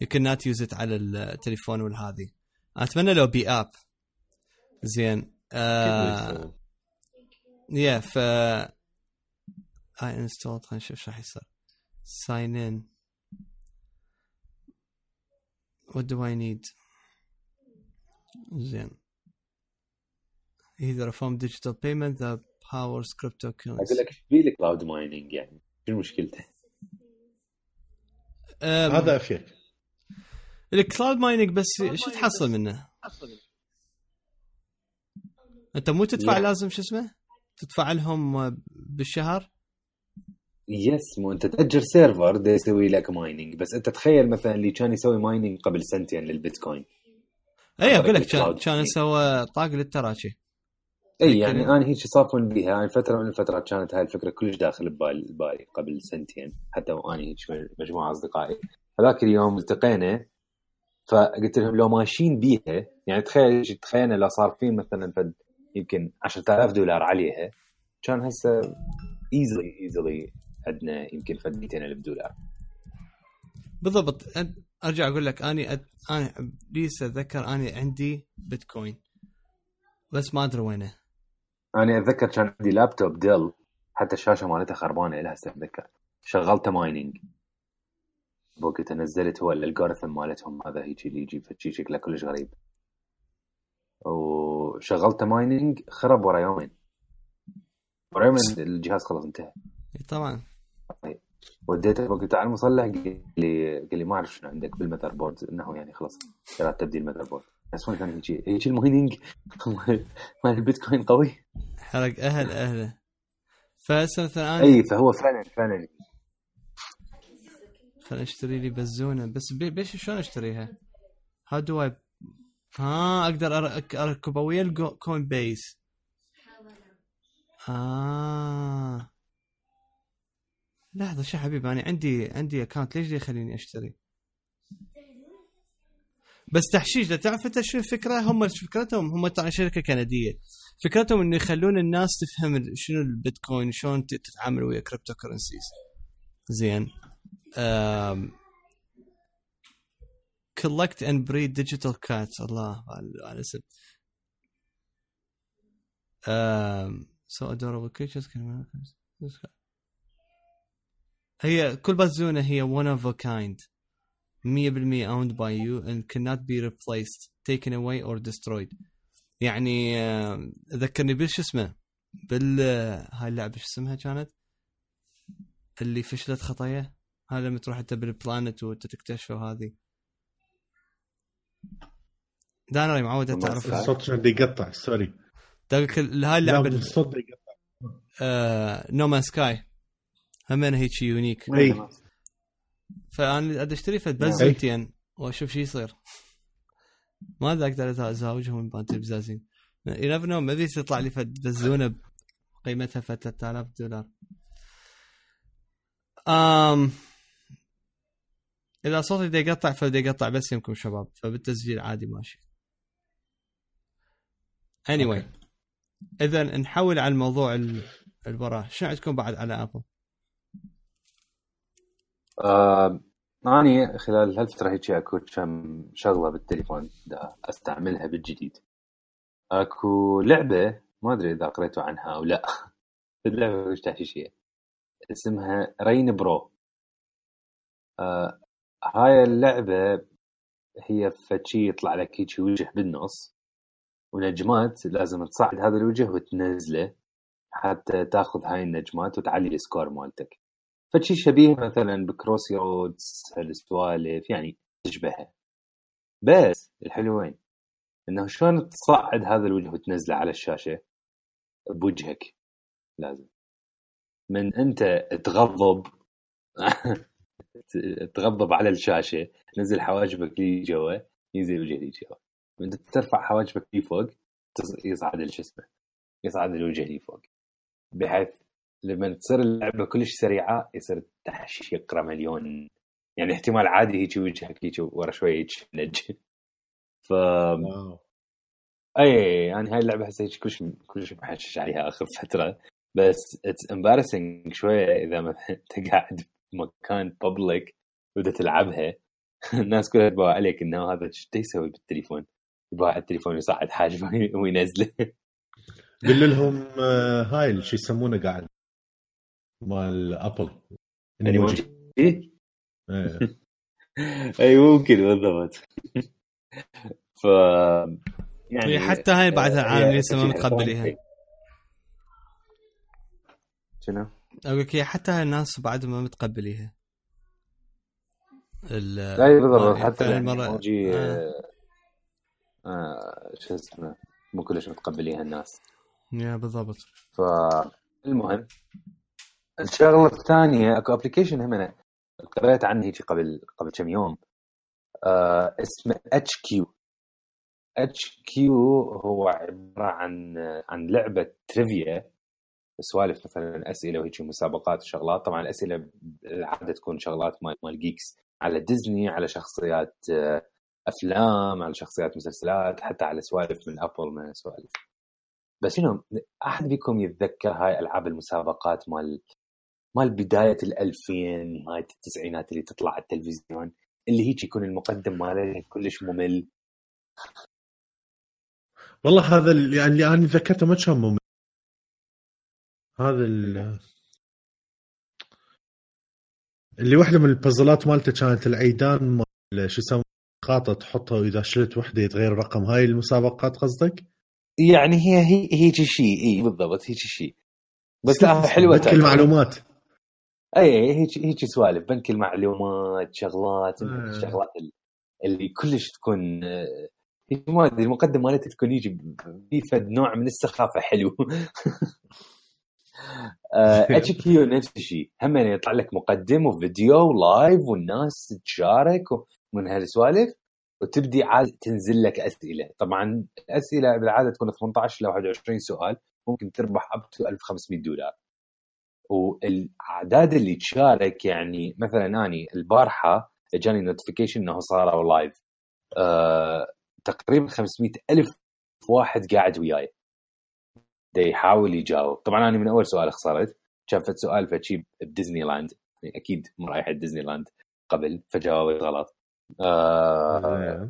you cannot use it على التليفون والهذه. اتمنى لو بي اب زين. آه يا ف اي انستول. خلينا نشوف شو راح يصير. sign in what do I need. زين either from digital payment that powers cryptocurrency. اقول لك ايش بيه الكلاود مايننج يعني شو مشكلته؟ هذا افيك. الكلاود مايننج بس شو تحصل منه؟ انت مو تدفع لازم شو اسمه تدفع لهم بالشهر. يس مو انت تأجر سيرفر ده يسوي لك مايننج. بس انت تخيل مثلا اللي كان يسوي مايننج قبل سنتين للبيتكوين. اي اقول لك كان كان يسوي طاق للتراشي. اي يعني انا هيك صافون بيها يعني فتره من الفترات كانت هاي الفكره كلش داخل ببالي قبل سنتين حتى وانا هيك مجموعه اصدقائي. هذاك اليوم التقينا فقلت لهم لو ماشيين بيها يعني تخيل تخيلنا لو صار فين مثلا فد يمكن عشرة آلاف دولار عليها كان هسه ايزلي ايزلي عندنا يمكن فد مئتين ألف دولار بالضبط. ارجع اقول لك اني أد... انا ليس اتذكر اني عندي بيتكوين بس ما ادري وينه. انا اتذكر كان عندي لابتوب ديل حتى الشاشه مالتها خربانه لها اتذكر شغلت مايننج بوقت نزلت هو الالغوريثم مالتهم هذا هيك اللي يجي فتشي شكله كلش غريب وشغلت مايننج خرب ورا يومين ورا يومين الجهاز خلص انتهى. طبعا وديته وقت على المصلح قال لي قال لي ما اعرف شنو عندك بالمذر بورد انه يعني خلص قررت تبديل المذر بورد بس ما كان هيك هيك المايننج مال البيتكوين قوي حرق اهل اهله فسنه ثانيه. اي فهو فعلا فعلا خليني اشتري لي بزونه بس بيش شلون اشتريها؟ هاو دو اي ها اقدر اركبها ويا الكوين بيس. اه لحظه شو حبيبي انا عندي عندي اكاونت ليش يخليني اشتري بس تحشيش. لا تعرف انت شو الفكره؟ هم فكرتهم هم طبعا شركه كنديه فكرتهم انه يخلون الناس تفهم شنو البيتكوين شلون تتعامل ويا كريبتو كرنسيز. زين um, collect and breed digital cats الله على اسم um, so adorable creatures can هي كل بزونة هي one of a kind مية بالمية owned by you and cannot be replaced taken away or destroyed. يعني ذكرني بالش اسمه بال هاي اللعبة شو اسمها كانت اللي فشلت خطايا هاي لما تروح انت بالبلانت وتكتشفه هذه دانري معود تعرف الصوت عندي يقطع سوري دقيق هاي اللعبة الصوت يقطع آه نومان سكاي همين هيك يونيك اي فانا ادي اشتري فد بزنتين واشوف شو يصير ماذا اقدر ازاوجهم من بانت البزازين ينفنو ما بيس يطلع لي فد بزونه قيمتها ثلاثة آلاف دولار. امم اذا صوتي دا يقطع فدا يقطع بس يمكم شباب فبالتسجيل عادي ماشي. anyway اذا نحول على الموضوع البراه شنو عندكم بعد على ابل؟ آه، أنا خلال هالفترة هيك أكو كم شغلة بالتليفون دا أستعملها بالجديد. أكو لعبة ما أدري إذا قريتوا عنها أو لا اللعبة مش تحشيشية اسمها رين برو. آه، هاي اللعبة هي فتشي يطلع لك هيك وجه بالنص ونجمات لازم تصعد هذا الوجه وتنزله حتى تاخذ هاي النجمات وتعلي السكور مالتك. فشي شبيه مثلا بكروسي رودز هالسوالف يعني تشبهها. بس الحلوين انه شلون تصعد هذا الوجه وتنزله على الشاشة بوجهك لازم من انت تغضب تغضب على الشاشة نزل حواجبك لي جوا ينزل وجهك لي جوا من انت ترفع حواجبك لي فوق يصعد الجسم يصعد الوجه لي فوق بحيث لما تصير اللعبة كلش سريعة يصير تحشيش يقرأ مليون يعني احتمال عادي هيك وجهك هيك ورا شوية يتشنج ف اي يعني هاي اللعبة هسه هيك كلش كلش محشش عليها آخر فترة بس it's embarrassing شوية إذا مثلا أنت قاعد بمكان public وبدأ تلعبها الناس كلها تبغى عليك إنه هذا شو يسوي بالتليفون يبغى على التليفون يصعد حاجة وينزله. قل لهم هاي شو يسمونه قاعد مال ابل ايموجي ايه اي ممكن بالضبط. ف يعني حتى هاي بعدها عام لسه ما متقبليها شنو اقول لك حتى هاي الناس بعد ما متقبليها لا بالضبط حتى المرة ايموجي آه. آه شو اسمه مو كلش متقبليها الناس يا بالضبط. فالمهم الشغله الثانيه اكو ابلكيشن هم انا قرأت عنه هيك قبل قبل كم يوم آه اسمه اتش كيو. اتش كيو هو عباره عن عن لعبه تريفيا، سوالف مثلا اسئله وهيك مسابقات وشغلات. طبعا الاسئله العاده تكون شغلات مال مال جيكس على ديزني، على شخصيات افلام، على شخصيات مسلسلات، حتى على سوالف من ابل من سوالف. بس شنو احد بيكم يتذكر هاي العاب المسابقات مال مال بدايه الألفين نهايه التسعينات اللي تطلع على التلفزيون اللي هيك يكون المقدم ماله كلش ممل؟ والله هذا اللي يعني انا ذكرته ما كان ممل. هذا اللي واحده من البازلات مالته كانت العيدان مال شو يسمى خاطه تحطها واذا شلت وحده يتغير الرقم. هاي المسابقات قصدك؟ يعني هي هي هيك شيء اي بالضبط هيك شيء. بس لا حلوه بنك المعلومات. اي هيك هيك سوالف بنك المعلومات شغلات آه. الشغلات اللي كلش تكون هيك ما ادري المقدم مالتها تكون يجي بفد نوع من السخافه حلو. اتش كيو نفس الشيء هم يعني يطلع لك مقدم وفيديو لايف والناس تشارك ومن هالسوالف وتبدي عاد تنزل لك اسئله. طبعا الاسئله بالعاده تكون ثمانية عشر ل واحد وعشرين سؤال، ممكن تربح اب تو ألف وخمسمية دولار. والاعداد اللي تشارك يعني مثلا اني البارحه جاني نوتيفيكيشن انه صاروا لايف أه تقريبا خمسمية ألف واحد قاعد وياي دا يحاول يجاوب. طبعا انا من اول سؤال خسرت، شافت سؤال فشي بديزني لاند يعني اكيد مو رايح ديزني لاند قبل فجاوبت غلط. آه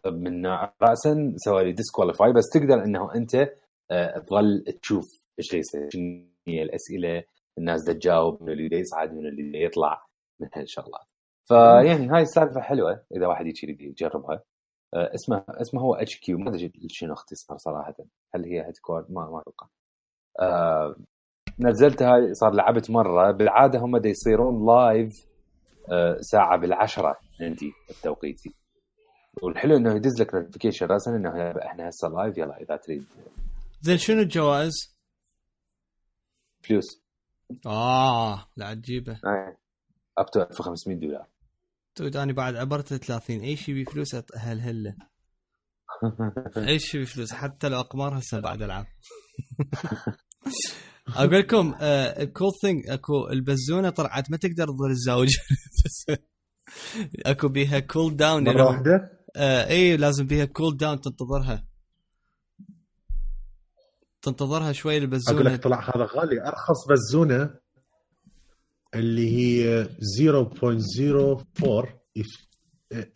من راسا سوالي ديسكواليفاي. بس تقدر انه انت آه تظل تشوف ايش يصير شنو هي الاسئله، الناس دا تجاوب، من اللي يصعد من اللي يطلع من هالشغلات. فيعني هاي السالفه حلوه اذا واحد يجي يجربها. آه اسمه اسمه هو اتش كيو، ما ادري شنو اختصار صراحه، هل هي هيدكوارد ما ما اتوقع. آه نزلتها صار لعبت مره. بالعاده هم دا يصيرون لايف آه ساعه بالعشرة عندي التوقيتي، والحلو انه يدز لك نوتيفيكيشن راسا انه احنا هسه لايف يلا اذا تريد. زين شنو الجوائز؟ فلوس. اه لا تجيبه اي اب تو ألف وخمسمية دولار. تود اني بعد عبرت ثلاثين اي شيء بفلوس اهل هله. اي شيء بفلوس حتى لو اقمار هسه بعد العب. اقول لكم الكول ثينج اكو البزونه طلعت ما تقدر تظل الزوج. اكو بيها كول داون مره واحده. آه اي لازم بيها كول داون تنتظرها تنتظرها شوي البزونه. اقول لك طلع هذا غالي. ارخص بزونه اللي هي صفر فاصلة صفر أربعة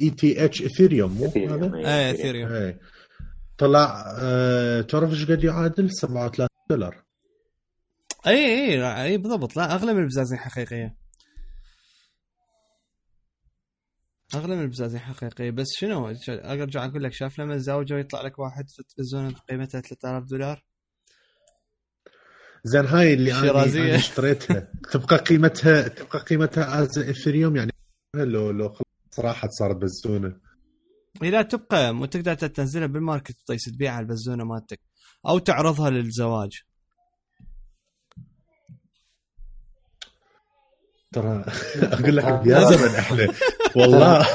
اي تي اتش اثيريوم مو هذا؟ اي اثيريوم طلع أه... تعرف ايش قد يعادل؟ سبعة وثلاثين دولار. اي اي اي بالضبط. لا اغلى من البزازين حقيقيه، اغلى من البزازين حقيقيه. بس شنو ارجع اقول لك شاف لما الزوجه ويطلع لك واحد في التلفزيون قيمتها ثلاثة آلاف دولار. زين هاي اللي انا اشتريتها تبقى قيمتها تبقى قيمتها از اثيريوم يعني لو لو صراحه صارت بزونه. لا تبقى مو تقدر تنزلها بالماركت طيب تبيعها البزونه مالتك او تعرضها للزواج. ترى اقول لك يا زلمه احنا والله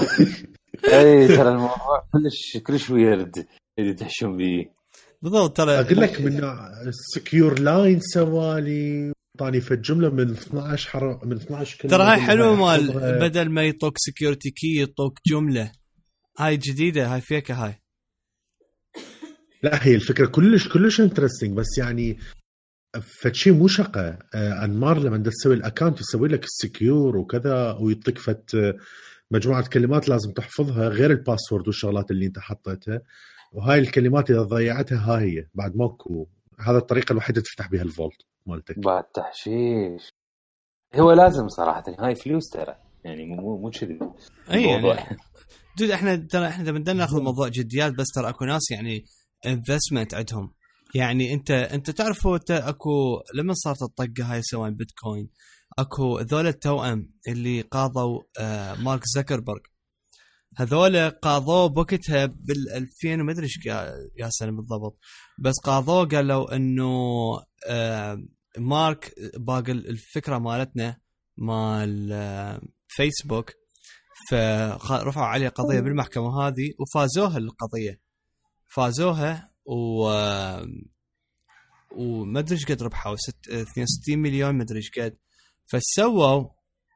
اي ترى الموضوع كلش كلش ويرد اللي تحشم بيه بالضبط. ترى اقول لك من سكيور لاين سوالي طاني في الجمله من اثناشر حر... من اثناشر كلمه. ترى هاي حلوه مال بدل ما يطوك سكيورتي كي يطوك جمله. هاي جديده هاي فيك هاي. لا هي الفكره كلش كلش انترستينج بس يعني فشي مو شقه. انمار لما تسوي الاكونت يسوي لك السكيور وكذا ويعطيك فت مجموعه كلمات لازم تحفظها غير الباسورد والشغلات اللي انت حطيتها. وهاي الكلمات اذا ضيعتها هاي هي بعد ماكو. هذا الطريقه الوحيده تفتح بها الفولت مالتك بعد تحشيش. هو لازم صراحه هاي فلوس ترى يعني مو مو كذي اي يعني دود احنا ترى احنا بدنا ناخذ الموضوع جديات. بس ترى اكو ناس يعني انفستمنت عندهم. يعني انت انت تعرف هو اكو لما صارت الطقه هاي سواء بيتكوين اكو ذول التوأم اللي قاضوا آه مارك زكربرج، هذول قاضوا بوقتها بال ألفين وما ادري ايش يا سنه بالضبط، بس قاضوا قالوا انه آه مارك باقي الفكره مالتنا مال آه فيسبوك، فرفعوا عليه قضيه بالمحكمه هذه وفازوها القضيه، فازوها و وما ادري ايش قد ربحوا اثنين وستين مليون ما ادري ايش قد. فسووا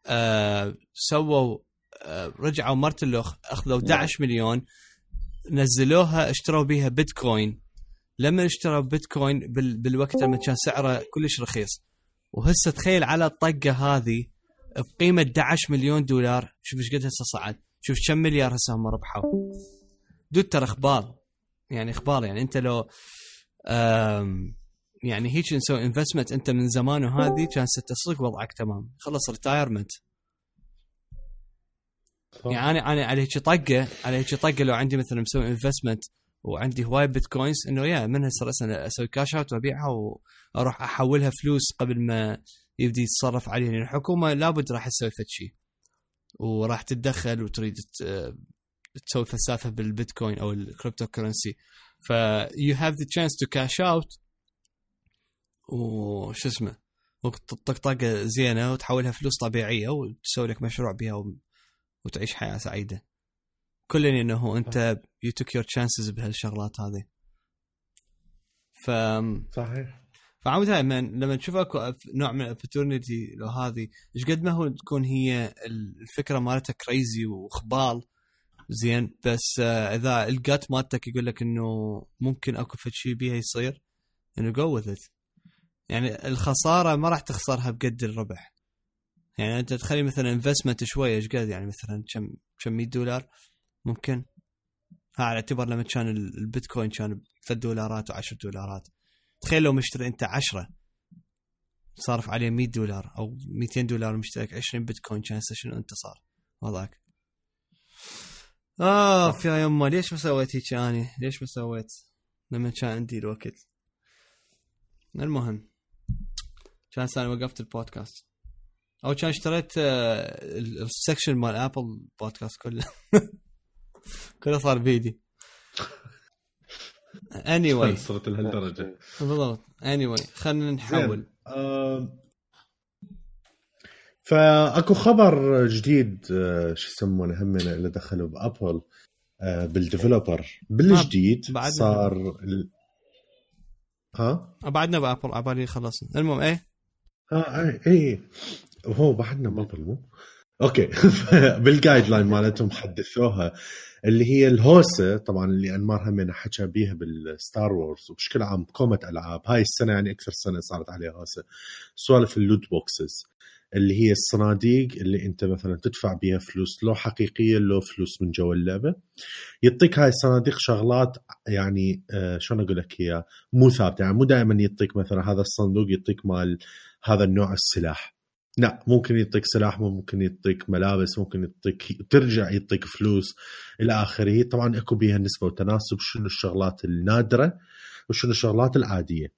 آه سووا آه رجعوا مرتلوخ اخذوا احد عشر مليون نزلوها اشتروا بيها بيتكوين. لما اشتروا بيتكوين بال بالوقت لما كان سعره كلش رخيص، وهسه تخيل على الطقه هذه بقيمه احد عشر مليون دولار، شوف ايش قد هسه صعد، شوف كم مليار هسه هم ربحوا. دول ترى اخبار يعني اخبار يعني انت لو آم يعني هيك نسوي انفستمنت انت من زمان وهذه كان ستصير وضعك تمام، خلص ريتايرمنت. يعني انا انا على هيك طقه على هيك طقه لو عندي مثلا مسوي انفستمنت وعندي هواي بيتكوينز، انه يا من هسه انا اسوي كاش اوت وابيعها واروح احولها فلوس قبل ما يبدي يتصرف عليها، يعني الحكومه لابد راح تسوي فد شيء وراح تتدخل وتريد تسوي فلسفه بالبيتكوين او الكريبتو كرنسي. ف you have the chance to cash out وش اسمه وطقطقه زينه وتحولها فلوس طبيعيه وتسوي لك مشروع بها وتعيش حياه سعيده. كلنا انه انت you took your chances بهالشغلات هذه. ف صحيح. فعاود هاي من لما تشوف اكو نوع من opportunity لو هذه ايش قد ما هو تكون هي الفكره مالتها كريزي وخبال زين، بس اذا الجات مالتك يقول لك انه ممكن اكو شيء بيها يصير انه go with it. يعني الخساره ما راح تخسرها بقد الربح. يعني انت تخلي مثلا انفستمنت شويه ايش قد يعني مثلا كم كم مية دولار ممكن، ها على اعتبار لما كان البيتكوين كان ثلاثة دولارات وعشرة دولارات، تخيل لو مشتري انت عشرة صارف عليه مية دولار او مئتين دولار مشترك عشرين بيتكوين، كان شنو انت صار وضعك؟ اه في يوم ليش ما سويت هيك اني؟ ليش ما سويت لما كان عندي الوقت؟ المهم كان انا وقفت البودكاست او كان اشتريت السكشن مال ابل بودكاست كله كله صار بيدي. anyway صرت لهالدرجه بالضبط. anyway خلينا نحول. أه فاكو خبر جديد أه شو يسمونه همنا اللي دخلوا بابل أه بالديفلوبر بالجديد صار ال... ها بعدنا بابل عبالي خلصنا. المهم ايه ها اي اي هو بعدنا بابل مو اوكي. بالجايد لاين مالتهم حدثوها اللي هي الهوسه طبعا اللي انمار همنا حكى بيها بالستار وورز وبشكل عام كومة العاب هاي السنه، يعني اكثر سنه صارت عليها هوسه سوالف اللوت بوكسز اللي هي الصناديق اللي انت مثلا تدفع بيها فلوس لو حقيقيه لو فلوس من جوا اللعبه، يعطيك هاي الصناديق شغلات يعني آه شلون اقول لك هي مو ثابته، يعني مو دائما يعطيك مثلا هذا الصندوق يعطيك مال هذا النوع السلاح، لا ممكن يعطيك سلاح ممكن يعطيك ملابس ممكن يعطيك ترجع يعطيك فلوس الى اخره. طبعا اكو بيها نسبه وتناسب شنو الشغلات النادره وشنو الشغلات العاديه.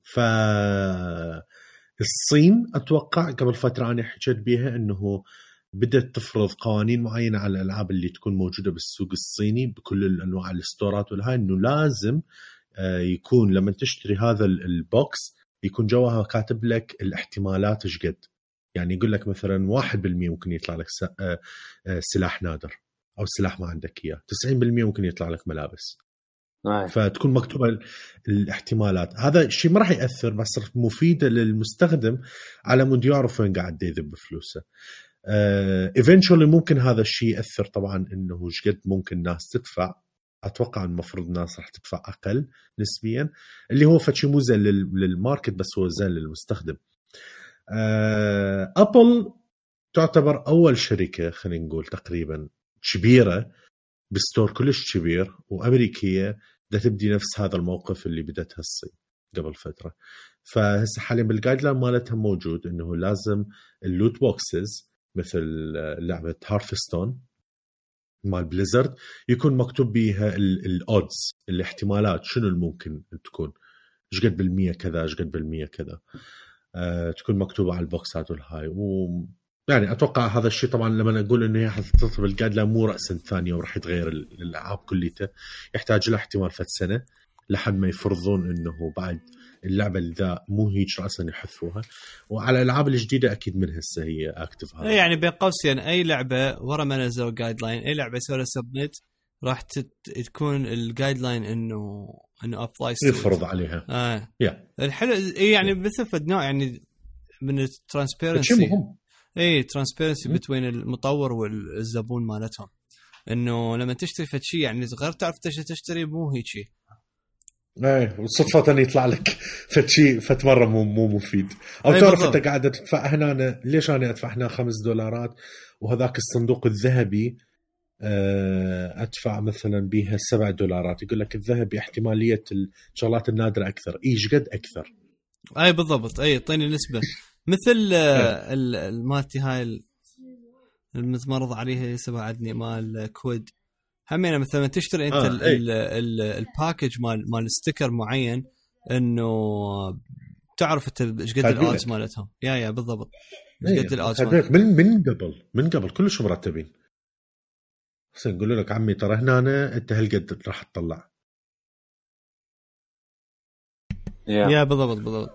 ف الصين اتوقع قبل فتره انا حكيت بيها انه بدأت تفرض قوانين معينه على الالعاب اللي تكون موجوده بالسوق الصيني بكل الانواع الاستورات والهاي، انه لازم يكون لما تشتري هذا البوكس يكون جواها كاتب لك الاحتمالات ايش قد، يعني يقول لك مثلا واحد بالمية ممكن يطلع لك سلاح نادر او سلاح ما عندك اياه، تسعين بالمية ممكن يطلع لك ملابس. فتكون مكتوبه الاحتمالات. هذا الشيء ما راح ياثر بس مفيده للمستخدم على مود يعرف وين قاعد يذب فلوسه. ايفينشولي ممكن هذا الشيء ياثر طبعا انه ايش قد ممكن الناس تدفع. اتوقع المفروض الناس راح تدفع اقل نسبيا، اللي هو فشي مو زين للماركت بس هو زين للمستخدم. ابل تعتبر اول شركه خلينا نقول تقريبا كبيره بستور كلش كبير وامريكيه بدها تبدي نفس هذا الموقف اللي بدتها الصين قبل فتره. فهسه حاليا بالجايد لاين مالتها موجود انه لازم اللوت بوكسز مثل لعبه هارثستون مال بليزرد يكون مكتوب بيها الاودز الاحتمالات شنو الممكن تكون ايش قد بالمية كذا ايش قد بالمية كذا. أه تكون مكتوبه على البوكسات والهاي. و يعني اتوقع هذا الشيء طبعا لما اقول انه هي حتطلب الجايد لاين مو راسا ثانيه وراح يتغير الالعاب كليته، يحتاج له احتمال فت سنه لحد ما يفرضون انه بعد اللعبه اللي ذا مو هيك راسا يحذفوها. وعلى الالعاب الجديده اكيد من هسه هي اكتف هذا. يعني بين قوسين اي لعبه ورا ما نزلوا جايد لاين، اي لعبه يسوي سبميت راح تت... تكون الجايد لاين انه انه ابلاي يفرض عليها. اه yeah. الحلو يعني بثفد نوع يعني من الترانسبيرنسي. اي ترانسبيرنسي بين المطور والزبون مالتهم، انه لما تشتري فد شيء يعني غير تعرف تشتري مو هيك شيء. ايه والصدفة أن يطلع لك فد شيء فت مرة مو مو مفيد، او تعرف انت قاعدة تدفع هنا أنا ليش انا ادفع هنا خمس دولارات وهذاك الصندوق الذهبي ادفع مثلا بيها سبع دولارات، يقول لك الذهبي احتمالية الشغلات النادرة اكثر. ايش قد اكثر؟ اي بالضبط. اي اعطيني نسبة مثل المالتي هاي المتمرض عليها سبع عدني مال كويد همينة. مثلا تشتري انت آه الباكج مال مال ستيكر معين انه تعرف انت ايش قد الادز مالتهم. يا يا بالضبط ايش قد الادز من من قبل من قبل كلش مرتبين. بس يقولوا لك عمي ترى هنا انت هالقد راح تطلع. يا بالضبط بالضبط.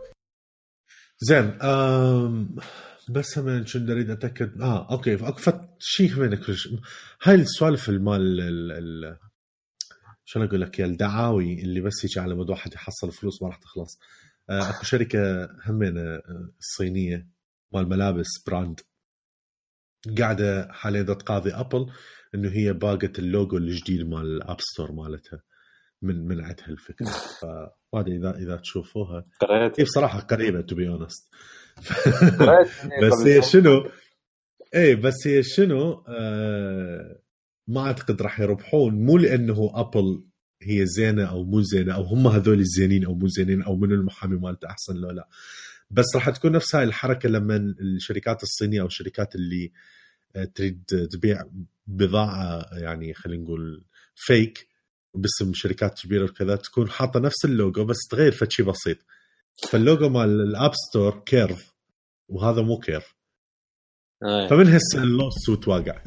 زين أم بس هم شو نريد اتاكد. اه اوكي اكفت شيء منك هاي السوالف المال ال شو اقول لك يا الدعاوي اللي بس يجي على مود واحد يحصل فلوس ما راح تخلص. آه اكو شركه همينه الصينيه مال ملابس براند قاعده حاليا تقاضي ابل انه هي باقت اللوجو الجديد مال الاب ستور مالتها من من عندها الفكره. فهذا اذا اذا تشوفوها هي بصراحه قريبه تو بي اونست. بس هي شنو ايه بس هي شنو آه ما اعتقد راح يربحون، مو لانه ابل هي زينه او مو زينه او هم هذول الزينين او مو زينين او من المحامي مالته احسن لو لا، بس راح تكون نفس هاي الحركه لما الشركات الصينيه او الشركات اللي تريد تبيع بضاعه يعني خلينا نقول فيك باسم شركات كبيره وكذا تكون حاطه نفس اللوجو بس تغير فشي بسيط. فاللوجو مال الاب ستور كيرف وهذا مو كيرف. أي. فمن هسه اللوت سوت واقع.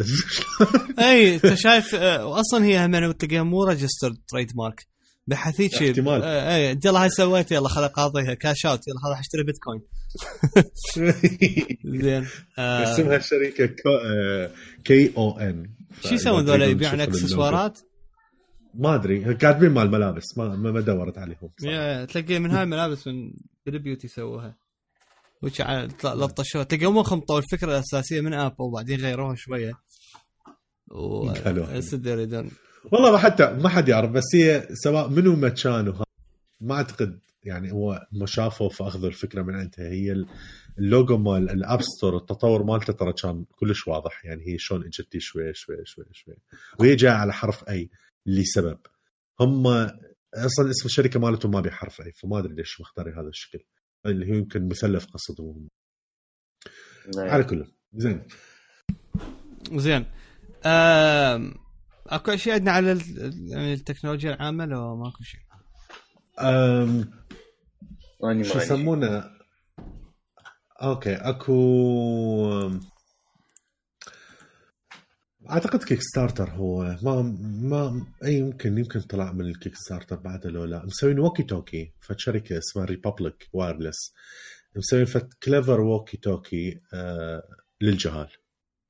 اي انت شايف اصلا هي هم تلقاها مو ريجسترد تريد مارك بحثيت شيء. احتمال اي انت يلا هاي سويت يلا خلي قاضيها كاش اوت يلا راح اشتري بيتكوين. زين اسمها الشركه كي او ان. شو يسوون ذولا يبيعون اكسسوارات؟ ما ادري كاتبين مال ملابس ما ما دورت عليهم. يا تلاقي من هاي الملابس من بالبيوتي سووها وش على لطشوا تلقوا مو خمطوا الفكره الاساسيه من ابل وبعدين غيروها شويه وصدر يدون. والله ما حتى ما حد يعرف بس هي سواء منو ما كانوا ما اعتقد يعني هو ما شافوا فاخذوا الفكره من عندها. هي اللوجو مال الاب ستور التطور مالته ترى كان كلش واضح يعني هي شلون اجتي شوي شوي شوي شوي وهي جايه على حرف اي لسبب هم اصلا اسم الشركه مالتهم ما بحرف اي فما ادري ليش مختاري هذا الشكل اللي هو يمكن مثلث قصدهم. على كله زين زين أم... اكو شيء عندنا على التكنولوجيا العامه لو ماكو شيء؟ امم شو يسمونه اوكي اكو اعتقد كيك ستارتر هو ما ما اي يمكن يمكن طلع من الكيك ستارتر بعد لو لا مسوين ووكي توكي فشركه اسمها ريبابليك وايرلس مسوين فت كليفر ووكي توكي آه للجهال.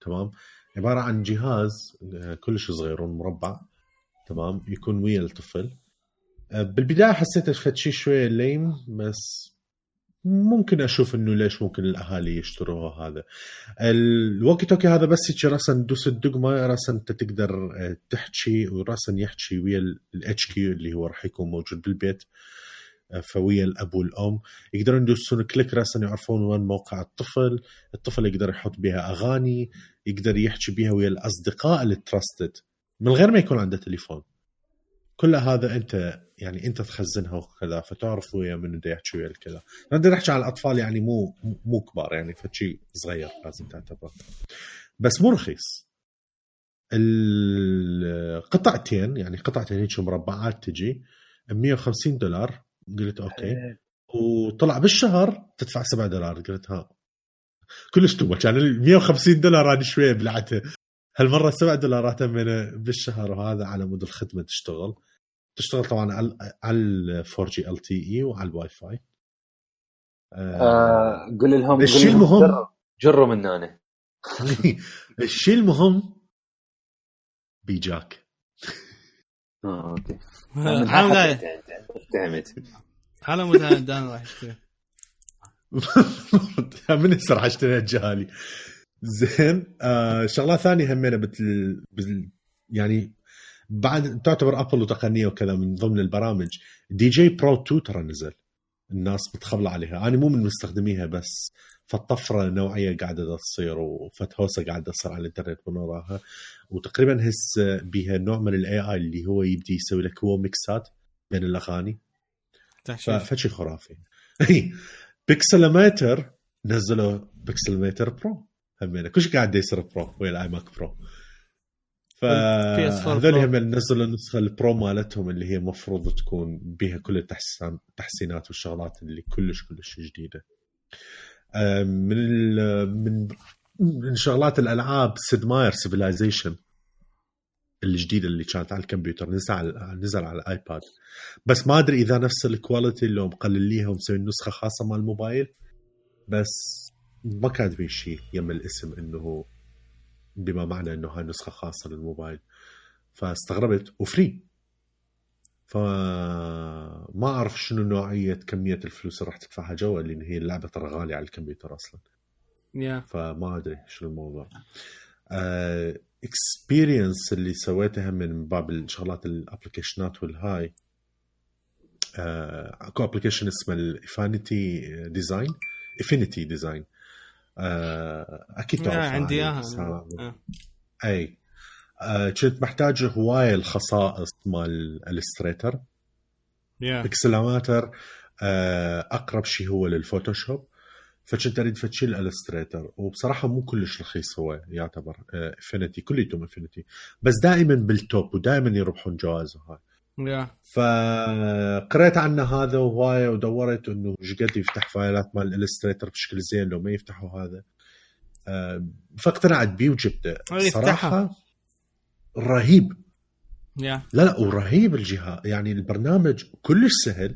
تمام عباره عن جهاز آه كلش صغير مربع تمام يكون ويا الطفل. آه بالبدايه حسيت فت شيء شويه ليم بس ممكن اشوف انه ليش ممكن الاهالي يشتروها. هذا الووكي توكي هذا بس يجي راسا تدوس الدقمه راسا انت تقدر تحكي وراسا يحكي ويا الاتش كيو اللي هو راح يكون موجود بالبيت فويا الاب والام يقدرون يدوسون كليك راسا يعرفون وين موقع الطفل. الطفل يقدر يحط بها اغاني يقدر يحكي بها ويا الاصدقاء اللي تراستد من غير ما يكون عنده تليفون. كل هذا انت يعني انت تخزنها وكذا فتعرف ويا من بده يحكي ويا الكذا. نقدر نحكي على الاطفال يعني مو مو كبار يعني فشي صغير لازم تعتبره بس مو رخيص. القطعتين يعني قطعتين هيك مربعات تجي مية وخمسين دولار. قلت اوكي وطلع بالشهر تدفع سبعة دولار. قلت ها كلش توبة، كان ال مية وخمسين دولار انا شويه بلعتها، هالمره سبعة دولارات من بالشهر، وهذا على مود الخدمه تشتغل تشتغل طبعا على ال فور جي ال تي اي وعلى الواي فاي. آه قل لهم الشيء المهم جروا من انا الشيء المهم بيجاك. اه اوكي عالم تعمد على مود دان راح يشتري من يسرح اشتري الجهالي. زين آه شغله ثانيه همينه بتل... بتل... يعني بعد تعتبر ابل وتقنيه وكذا من ضمن البرامج دي جي برو تو ترى نزل، الناس بتخبل عليها. انا مو من مستخدميها بس فالطفره نوعيه قاعده تصير وفتهوسه قاعده تصير على الانترنت من وراها، وتقريبا هس بها نوع من الاي اي اللي هو يبدي يسوي لك هو ميكسات بين الاغاني، فشي خرافي. بيكسلميتر نزلوا بيكسلميتر برو همينه كلش قاعد يصير برو ويا الاي ماك برو، فهذول هم نزلوا النسخه البرو مالتهم اللي هي مفروض تكون بها كل التحسين التحسينات والشغلات اللي كلش كلش جديده. من من من شغلات الالعاب سيد ماير سيفيلايزيشن الجديده اللي كانت على الكمبيوتر نزل على نزل على الايباد، بس ما ادري اذا نفس الكواليتي اللي مقلليها ومسوي نسخه خاصه مال الموبايل، بس ما كاتبين شيء يم الاسم انه بما معنى انه هاي نسخه خاصه للموبايل، فاستغربت وفري، فما اعرف شنو نوعيه كميه الفلوس اللي راح تدفعها جوا، لان هي اللعبه ترى غاليه على الكمبيوتر اصلا. yeah. فما ادري شنو الموضوع. اكسبيرينس اللي سويتها من باب الشغلات الابلكيشنات والهاي، اكو ابلكيشن اسمه الافينيتي ديزاين افينيتي ديزاين اكيد تعرف عندي اياها. اي كنت محتاج هوايه الخصائص مال الستريتر yeah. بيكسلماتر اقرب شيء هو للفوتوشوب، فكنت اريد فتشي الالستريتر، وبصراحه مو كلش رخيص هو يعتبر افينيتي كليتهم افينيتي، بس دائما بالتوب ودائما يربحون جوائز هاي. yeah. فقرأت عنه هذا وهوايه ودورت انه ايش قد يفتح فايلات مال الالستريتر بشكل زين لو ما يفتحوا هذا، فاقتنعت بيه وجبته. صراحه رهيب yeah. لا لا ورهيب الجهاز، يعني البرنامج كلش سهل،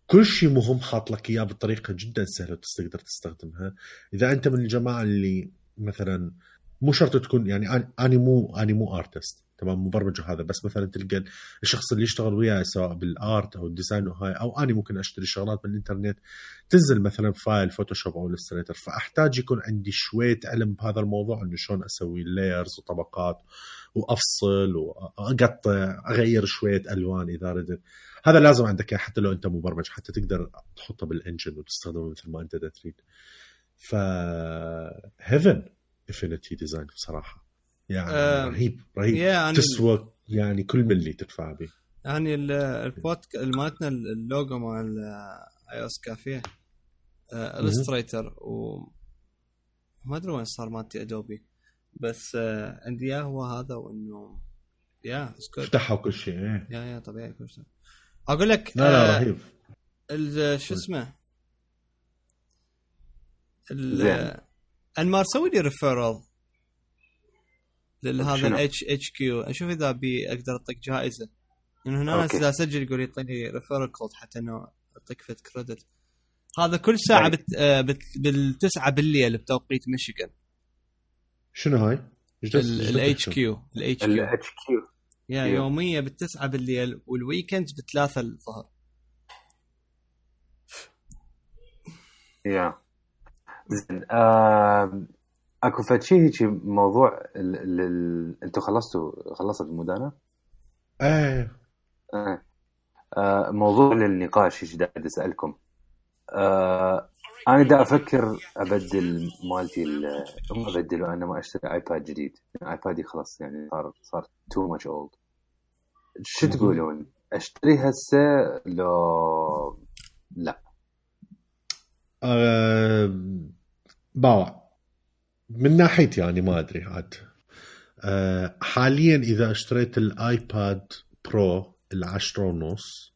كل شيء مهم حاط لك اياه بطريقه جدا سهله تقدر تستخدمها. اذا انت من الجماعه اللي مثلا مو شرط تكون يعني اني مو اني مو ارتست تمام مبرمج هذا، بس مثلا تلقى الشخص اللي يشتغل وياه سواء بالارت او الديزاين وهاي، او اني ممكن اشتري شغلات من الانترنت تنزل مثلا فايل فوتوشوب او الستريتر، فاحتاج يكون عندي شويه علم بهذا الموضوع انه شلون اسوي لايرز وطبقات وافصل واقطع اغير شويه الوان اذا ردت. هذا لازم عندك حتى لو انت مبرمج حتى تقدر تحطه بالانجن وتستخدمه مثل ما انت تريد. ف هيفن انفينيتي ديزاين بصراحه يعني أه رهيب رهيب يعني تسوى يعني كل ملي تدفع به. يعني البودك مالتنا اللوجو مال اي اس كافيه الستريتر وما ادري وين صار مالتي ادوبي، بس آه عندي اياه هو هذا، وانه يا افتحوا كل شيء ايه يا يا طبيعي كل شيء. اقول لك لا لا رهيب. آه شو اسمه انمار سوي لي ريفيرال لهذا الاتش اتش كيو، اشوف اذا بي اقدر اعطيك جائزه، انه هنا اذا اسجل يقول يعطيني ريفيرال كود حتى انه اعطيك فت كريدت. هذا كل ساعه بت... بت... بالتسعة بالليل بتوقيت ميشيغان. شنو هاي الاتش كيو الاتش كيو الاتش كيو يا يوميه بالتسعة بالليل، والويكند بثلاثة الظهر. يا زين آه... اكو فشي هيك موضوع ال... ال... ال... انتوا خلصتوا خلصت المدانه؟ ايه اه آه... موضوع للنقاش ايش قاعد اسالكم. آه... انا دا افكر ابدل مالتي ال... هم ابدلوا انا ما اشتري ايباد جديد، ايبادي خلاص يعني صار صار تو ماتش اولد. شو تقولون اشتري هسه لو لا؟ أه... باوع من ناحيتي يعني ما أدري عاد. أه حاليا إذا اشتريت الآيباد برو العشرة ونص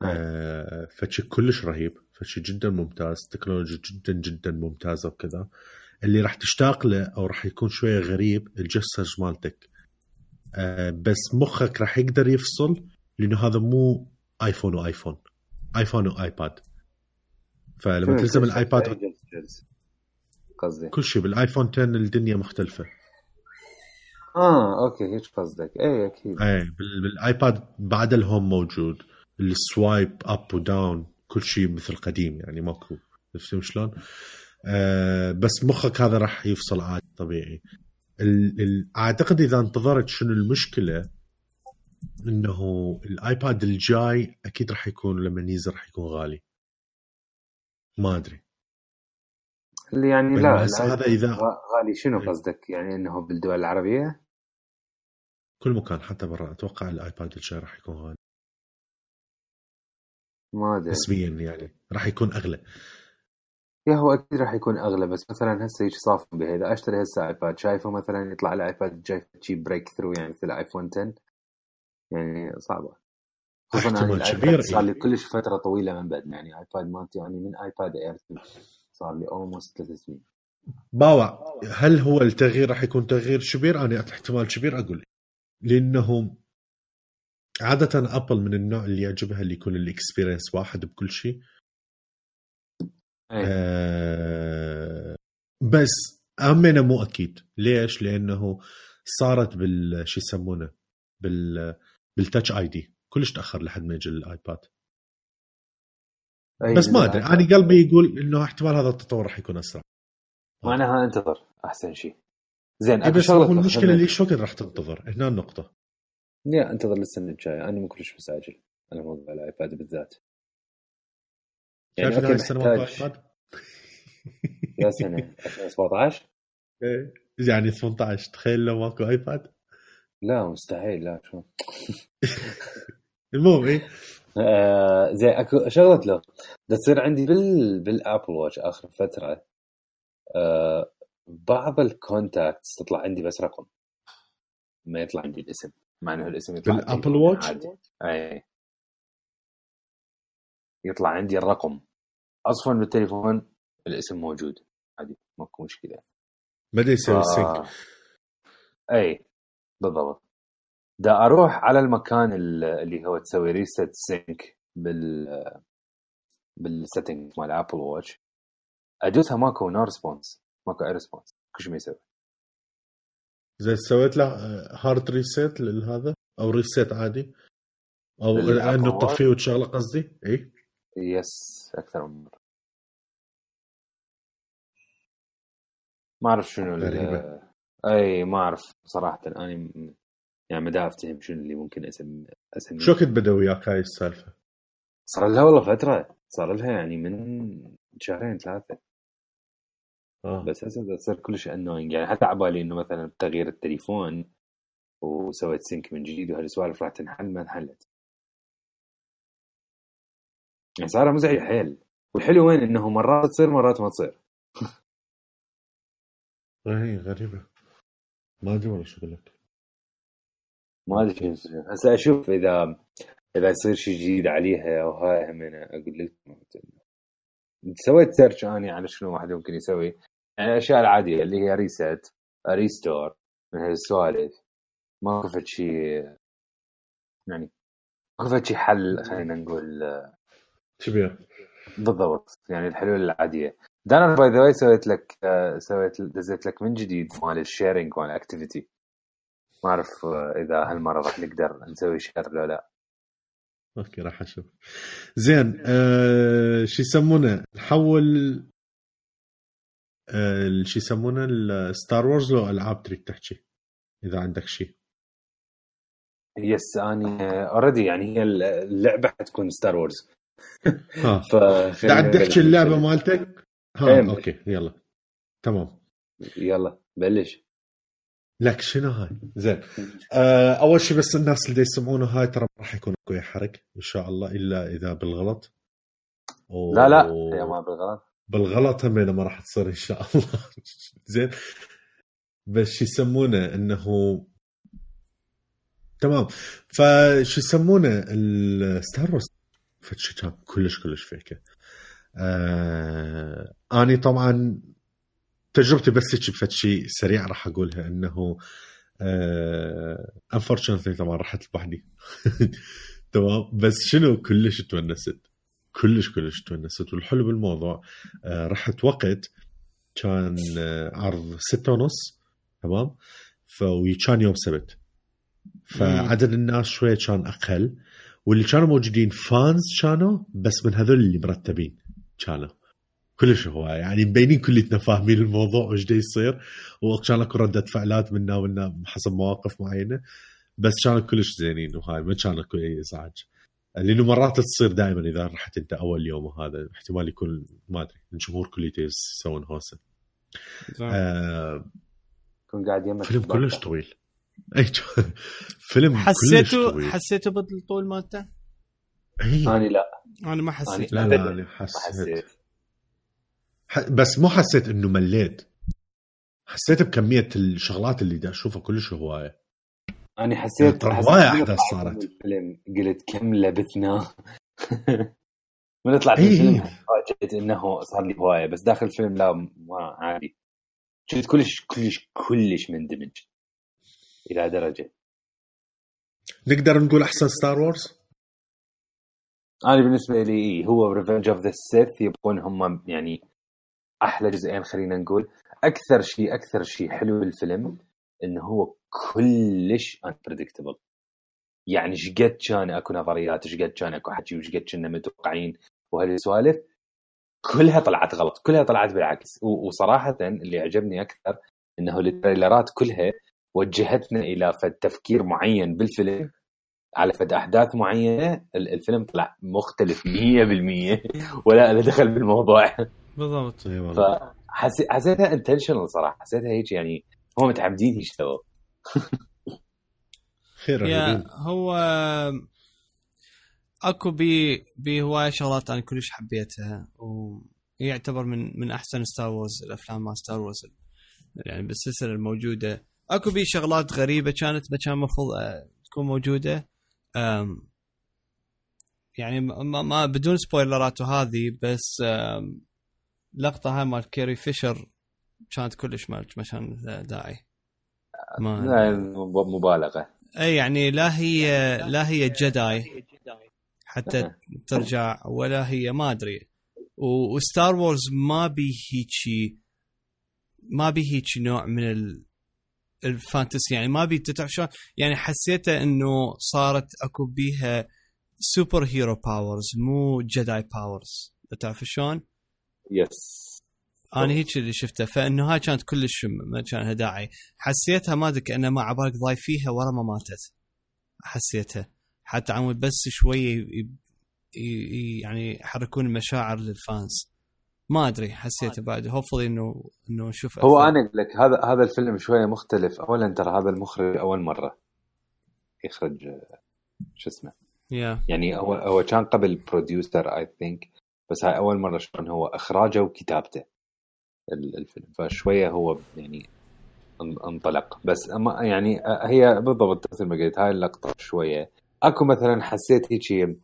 آه فشي كلش رهيب، فشي جدا ممتاز، تكنولوجيا جدا جدا ممتازة وكذا. اللي راح تشتاق له أو راح يكون شوية غريب الجسر مالتك، آه بس مخك راح يقدر يفصل، لأنه هذا مو آيفون وآيفون، آيفون وآيباد. فلما تلزم الآيباد قصدي كل شيء بالآيفون عشرة الدنيا مختلفة. اه اوكي هيك قصدك. اي اكيد. اي بالايباد بعد الهوم موجود، السوايب اب وداون كل شيء مثل قديم يعني ماكو. شفت شلون؟ آه بس مخك هذا راح يفصل عادي طبيعي. ال ال اعتقد اذا انتظرت شنو المشكله، انه الايباد الجاي اكيد راح يكون لما ينزل راح يكون غالي. ما ادري اللي يعني لا هذا اذا غالي شنو قصدك؟ يعني انه بالدول العربيه كل مكان حتى برا اتوقع الايباد الجاي راح يكون غالي. ما ادري نسبيا يعني راح يكون اغلى. يا هو اكيد راح يكون اغلى، بس مثلا هسه يجي صافي بهذا اشتري هسه ايباد، شايفه مثلا يطلع لي ايباد الجاي شيء بريك ثرو يعني مثل ايفون عشرة، يعني صعبه. احتمال كبير صار لي كلش فتره طويله من بعد يعني ايباد مالتي يعني من ايباد اير صار لي اولموست ثلاث سنين. باوع هل هو التغيير راح يكون تغيير كبير؟ انا احتمال كبير اقول، لانه عاده ابل من النوع اللي يعجبها اللي يكون الاكسبيرينس واحد بكل شيء. آه بس امنه مو اكيد. ليش؟ لانه صارت بالشي يسمونه بال بالتاتش اي دي كلش تاخر لحد ما يجي الايباد. بس ما ادري، انا قلبي يقول انه احتمال هذا التطور راح يكون اسرع. معناها انتظر احسن شيء. زين إيه بس هو المشكله اللي شو قد راح تنتظر هنا النقطه. لا انتظر للسنه الجايه، انا مو كلش مستعجل على موضوع الايباد بالذات. يعني اوكي السنه ما ايباد يا سنه ألفين وسبعة عشر ايه يعني ثمانية عشر تخيل لو ماكو ايباد. لا مستحيل، لا شو المهم ايه آه زي اكو شغله له ده تصير عندي بال بالابل واتش اخر فتره. آه بعض الكونتاكتس تطلع عندي بس رقم، ما يطلع عندي الاسم، مع انه الاسم يطلع بالابل واتش عادي. اي يطلع عندي الرقم اصلا بالتليفون، الاسم موجود عادي ماكو مشكله. ما دا يسوي سينك. اي بالضبط. دا اروح على المكان اللي هو تسوي ريست سينك بال بالسيتنج مال ابل واتش، ادوسها ماكو نو ريسبونس، ماكو اي ريسبونس، كل شيء ما يسوي. زي سويت له هارد ريسيت لهذا او ريسيت عادي او انه تطفيه وتشغله قصدي. اي يس اكثر من مره. ما اعرف شنو غريبة. اي ما اعرف صراحه انا يعني ما دا افتهم شنو اللي ممكن اسم اسميه. شو كنت بدا وياك هاي السالفه؟ صار لها والله فتره، صار لها يعني من شهرين ثلاثه. آه. بس هسه تصير كلش انوينج يعني، حتى عبالي انه مثلا تغيير التليفون وسويت سينك من جديد وهالسوالف راح تنحل، ما انحلت. يعني صار مزعج حيل. والحلو وين انه مرات تصير مرات ما تصير. اي غريبه ما ادري ولا شو لك. ما ادري شو يصير. هسه اشوف اذا اذا يصير شيء جديد عليها او هاي هم انا اقول لك. سويت سيرش اني على شنو واحد ممكن يسوي، يعني الاشياء العاديه اللي هي ريست ريستور من هالسوالف. ما كفت شيء يعني، ما كفت شيء حل خلينا نقول كبير بالضبط. يعني الحلول العاديه. دانا باي ذا واي سويت لك سويت دزيت لك من جديد مال الشيرنج مال الاكتيفيتي. ما اعرف اذا هالمره راح نقدر نسوي شير ولا لا. اوكي راح اشوف. زين أه شو يسمونه نحول أه شو يسمونه الستار وورز لو العاب تريد تحكي اذا عندك شيء. يس اني اوريدي يعني هي اللعبه حتكون ستار وورز. ها فخلينا تحكي اللعبه مالتك. ها ام. اوكي يلا تمام يلا بلش لك شنو هاي. زين أه اول شيء بس الناس اللي يسمعونه هاي ترى راح يكون اكو حرق ان شاء الله الا اذا بالغلط. أوه. لا لا هي ما بالغلط، بالغلط هم ما راح تصير ان شاء الله. زين بس يسمونه انه تمام. فش يسمونه الستار وورز فتشي كان كلش كلش فيكه. آه اني طبعا تجربتي بس هيك بفتشي سريع راح اقولها انه آه unfortunately طبعا رحت لوحدي. تمام بس شنو كلش تونست كلش كلش تونست. والحلو بالموضوع آه رحت وقت كان آه عرض ستة ونص تمام فكان يوم سبت فعدد الناس شوية كان أقل واللي كانوا موجودين فانز كانوا بس من هذول اللي مرتبين كانوا كلش هو يعني مبينين كلنا فاهمين الموضوع وش دا يصير وكان لكم ردة فعلات منا ومنا حسب مواقف معينة بس كانوا كلش زينين وهاي ما كان لكم أي إزعاج لأنه مرات تصير دائما إذا رحت أنت أول يوم وهذا احتمال يكون ما أدري الجمهور كليته يسوون هوسة. آه كون قاعد يمك فيلم كلش طويل. أي فيلم حسيته طويل. حسيته بالطول مالته؟ أنا لا أنا ما حسيت. لا لا أنا حسيت. ح... بس مو حسيت إنه مليت. حسيت بكمية الشغلات اللي دا أشوفها كلش هواية. أنا حسيت هواية أحداث صارت. الفيلم قلت كم لبثنا. من أطلع في الفيلم فاجأت إنه صار لي هواية بس داخل الفيلم لا ما عادي. شفت كلش كلش كلش مندمج إلى درجة. نقدر نقول أحسن ستار وورز؟ أنا بالنسبة لي هو ريفنج أوف ذا سيث يبقون هم يعني أحلى جزئين خلينا نقول. أكثر شيء أكثر شيء حلو بالفيلم إنه هو كلش unpredictable. يعني شقد كان أكو نظريات شقد كان أكو حكي وشقد كنا متوقعين وهالسوالف كلها طلعت غلط كلها طلعت بالعكس. وصراحة اللي عجبني أكثر إنه التريلرات كلها وجهتنا إلى فد تفكير معين بالفيلم على فد أحداث معينة. الفيلم طلع مختلف مية بالمية ولا أنا دخل بالموضوع بالضبط. فحسيتها intentional صراحة. حسيتها هيك يعني هم متعمدين يشتغلوا. خير يا هو اكو بي بهوايه شغلات انا كلش حبيتها ويعتبر من من احسن ستار وورز الافلام مال ستار وورز يعني بالسلسله الموجوده. اكو بي شغلات غريبه كانت ما كان مفروض تكون موجوده يعني ما, ما بدون سبويلرات وهذه بس لقطه هاي مال كيري فيشر كانت كلش ما كان داعي ما مبالغه. اي يعني لا هي لا هي جداي حتى ترجع ولا هي ما ادري. وستار وورز ما بي هيك ما بي هيك نوع من الفانتسي يعني ما بي تعرف شلون يعني حسيته انه صارت اكو بيها سوبر هيرو باورز مو جداي باورز تعرف شلون. يس انا هيك اللي شفته فانه هاي كانت كلش ما كان داعي. حسيتها ما ادري كأنه ما عبالك ضايف فيها ورا ما ماتت. حسيتها حتى عمود بس شويه يعني يحركون المشاعر للفانز ما ادري حسيته بعد هوفلي انه انه نشوف هو انا اقول لك هذا هذا الفيلم شويه مختلف. اولا ترى هذا المخرج اول مره يخرج شو اسمه yeah. يعني هو هو كان قبل بروديوسر اي ثينك بس هاي اول مره شلون هو اخراجه وكتابته الفيلم فشويه هو يعني انطلق. بس أما يعني هي بالضبط مثل ما قلت هاي اللقطه شويه اكو مثلا حسيت هيك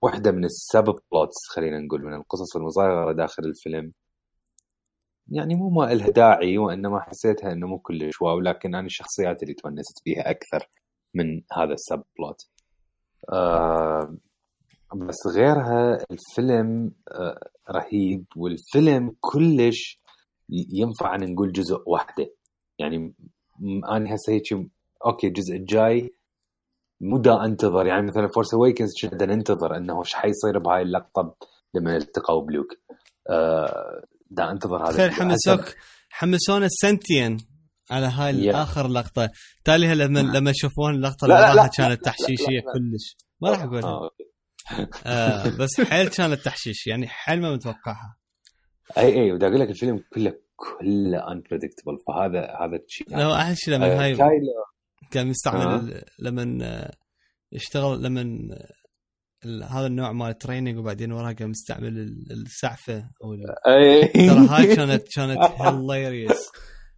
واحده من السب بلوتس خلينا نقول من القصص المصغره داخل الفيلم يعني مو ما لها داعي وانما حسيتها انه مو كلش واو. لكن انا الشخصيات اللي تونست فيها اكثر من هذا السب بلوت. آه بس غيرها الفيلم آه رهيب. والفيلم كلش ينفع أن نقول جزء واحدة يعني أنا هسه هيك أوكي الجزء الجاي مدى أنتظر يعني مثلا فورس أويكنز كنا ننتظر أنه إيش حيصير بهاي اللقطة لما التقوا بلوك. آه دا أنتظر هذا خير حمسوك حمسونا السنتين على هاي الآخر لقطة تاليها لما لما شوفون اللقطة اللي كانت تحشيشية كلش ما راح أقولها آه. آه بس حيل كانت تحشيش يعني حيل ما متوقعها. اي اي ودا اقول لك الفيلم كله كله unpredictable فهذا هذا الشيء يعني. لا احلى شيء لما آه هاي كان مستعمل آه. لما اشتغل لما هذا النوع مال تريننج وبعدين وراها كان مستعمل السعفه او ترى هاي كانت كانت هيلاريوس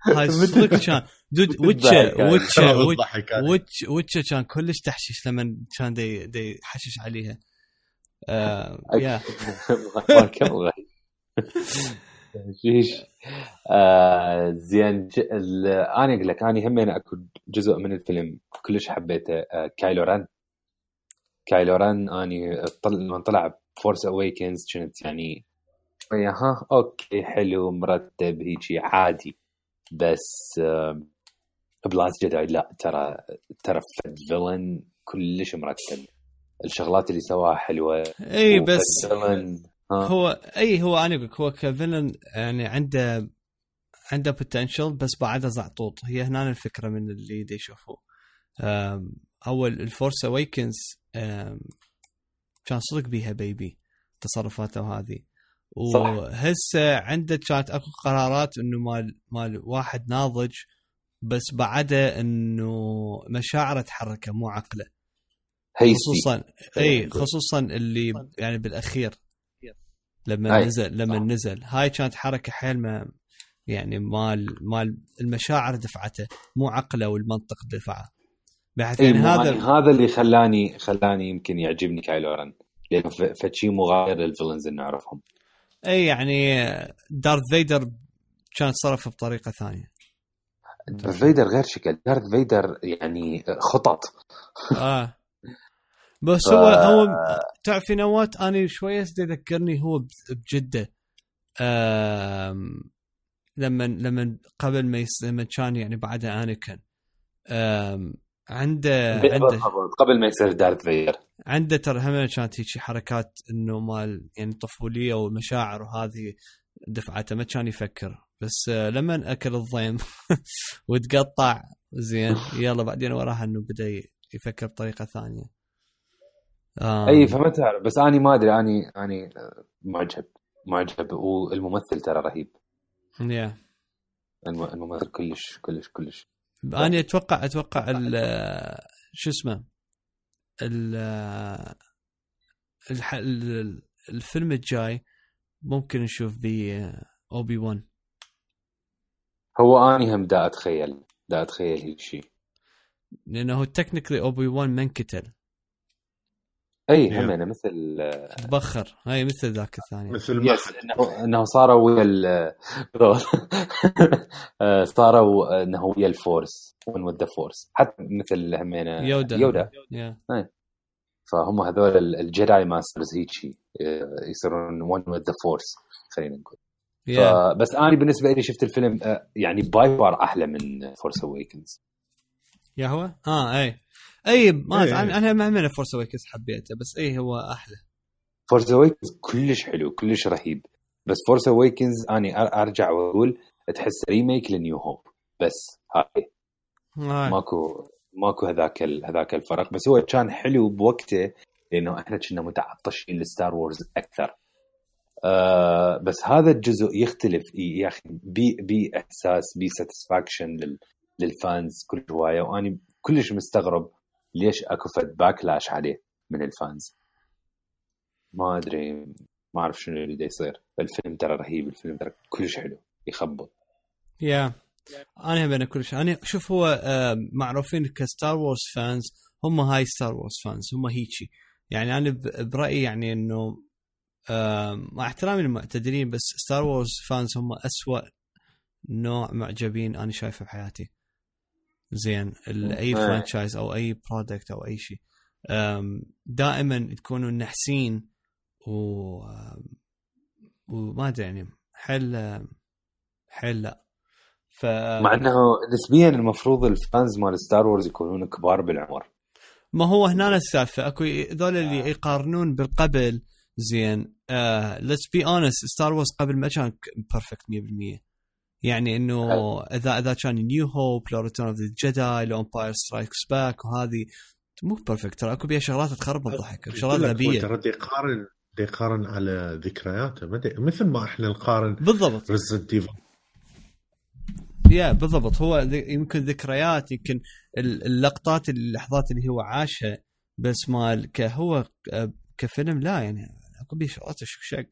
هاي صدق كان دود ويتشا ويتشا ويتشا ويتشا كان كلش تحشيش لما كان دي دي حشش عليها آه يا ما كمل شيش. آه زين ج... ال... انا اقول لك انا هم انا اكو جزء من الفيلم كلش حبيته، آه كايلو ران. كايلو ران اني طل... لما طلع فورس اويكنز كنت يعني شويه ها اوكي حلو مرتب هيجي عادي، بس آه بلاست جداي لا ترى ترى فد فيلن كلش مرتب، الشغلات اللي سواها حلوه. اي بس هو اي هو انا اقول هو كفيلن يعني عنده عنده بوتنشل بس بعده زعطوط. هي هنا الفكره من اللي دي يشوفوا. اول الفورس اويكنز كان صدق بيها بيبي تصرفاته وهذه، وهسه عنده كانت اكو قرارات انه مال مال واحد ناضج، بس بعده انه مشاعره تحركه مو عقله. خصوصا اي خصوصا اللي يعني بالاخير لما أي. نزل لما صح. نزل هاي كانت حركه حيل ما يعني مال مال المشاعر دفعته مو عقله والمنطق دفعه. بحيث يعني هذا هذا اللي خلاني خلاني يمكن يعجبني كايلو رن، لانه فشي مغاير للفيلنز اللي نعرفهم. اي يعني دارث فيدر كان صرف بطريقه ثانيه. دارث فيدر غير شكل، دارث فيدر يعني خطط اه بس ف... هو هو تعرف في نوات اني شويه تذكرني هو بجده آم... لما لما قبل ما يس... لما كان يعني بعدها انيكن آم... عنده عنده قبل ما يصير دارث فيدر عنده ترى هم كانت هيك حركات انه مال يعني طفوليه ومشاعر وهذه دفعته ما كان يفكر. بس لما اكل الضيم وتقطع زين يلا بعدين وراها انه بدا يفكر بطريقه ثانيه. اي فهمت. بس اني ما ادري اني اني معجب معجب والممثل ترى رهيب. يا الممثل كلش كلش كلش. انا اتوقع اتوقع شو اسمه الفيلم الجاي ممكن نشوف بيه اوبي وان. هو اني هم دا اتخيل دا اتخيل هيك شيء، لانه هو تكنيكلي اوبي وان من قتل. اي هم انا مثل بخر هاي مثل ذاك الثاني مثل ما انه انه صاروا ويا ال صاروا انه ويا الفورس وين ود فورس حتى مثل همينه يودا يودا yeah. فهم هذول الجيداي ماسترز هيك شيء يصيرون وين ود فورس خلينا نقول yeah. بس انا بالنسبه لي شفت الفيلم يعني باي فار احلى من فورس اويكنز. يا هو اه اي اي ما أيه. انا ما من فورس اويكنز حبيته بس اي هو احلى. فورس اويكنز كلش حلو كلش رهيب، بس فورس اويكنز اني ارجع واقول تحس ريميك لنيو هوب بس هاي آه. ماكو ماكو هذاك هذاك الفرق. بس هو كان حلو بوقته لانه احنا كنا متعطشين لستار وورز اكثر. آه بس هذا الجزء يختلف يا اخي بي بي احساس بي ساتسفاكشن لل للفانز كل هوايه، واني كلش مستغرب ليش اكو فد باكلاش عليه من الفانز. ما ادري ما اعرف شنو اللي دا يصير. الفيلم ترى رهيب، الفيلم ترى كلش حلو يخبط. يا انا بين كلش انا شوف هو معروفين كستار وورز فانز، هم هاي ستار وورز فانز هم هيجي يعني. انا برايي يعني انه مع احترامي للمعتدلين بس ستار وورز فانز هم أسوأ نوع معجبين انا شايفه بحياتي. زين اي فرانشايز او اي برودكت او اي شيء دائما تكونوا نحسين و وما ادري يعني حل حل لا ف مع انه نسبيا المفروض الفانز مال ستار وورز يكونون كبار بالعمر. ما هو هنا السالفه اكو ذول اللي يقارنون بالقبل. زين ليتس بي اونست ستار وورز قبل ما كان بيرفكت مية بالمية يعني انه اذا اذا كان نيو هوب لو ريتيرن اوف ذا جيداي لو امباير سترايكس باك وهذه مو بيرفكت ترى اكو بيها شغلات تخرب الضحك شغلات غبيه. ترى يقارن يقارن على ذكرياته مثل ما احنا نقارن بالضبط ريزيدنت ايفل. يا بالضبط هو يمكن ذكريات يمكن اللقطات اللحظات اللي هو عاشها بس مال كهو كفيلم لا يعني اكو بيه شغلات شق.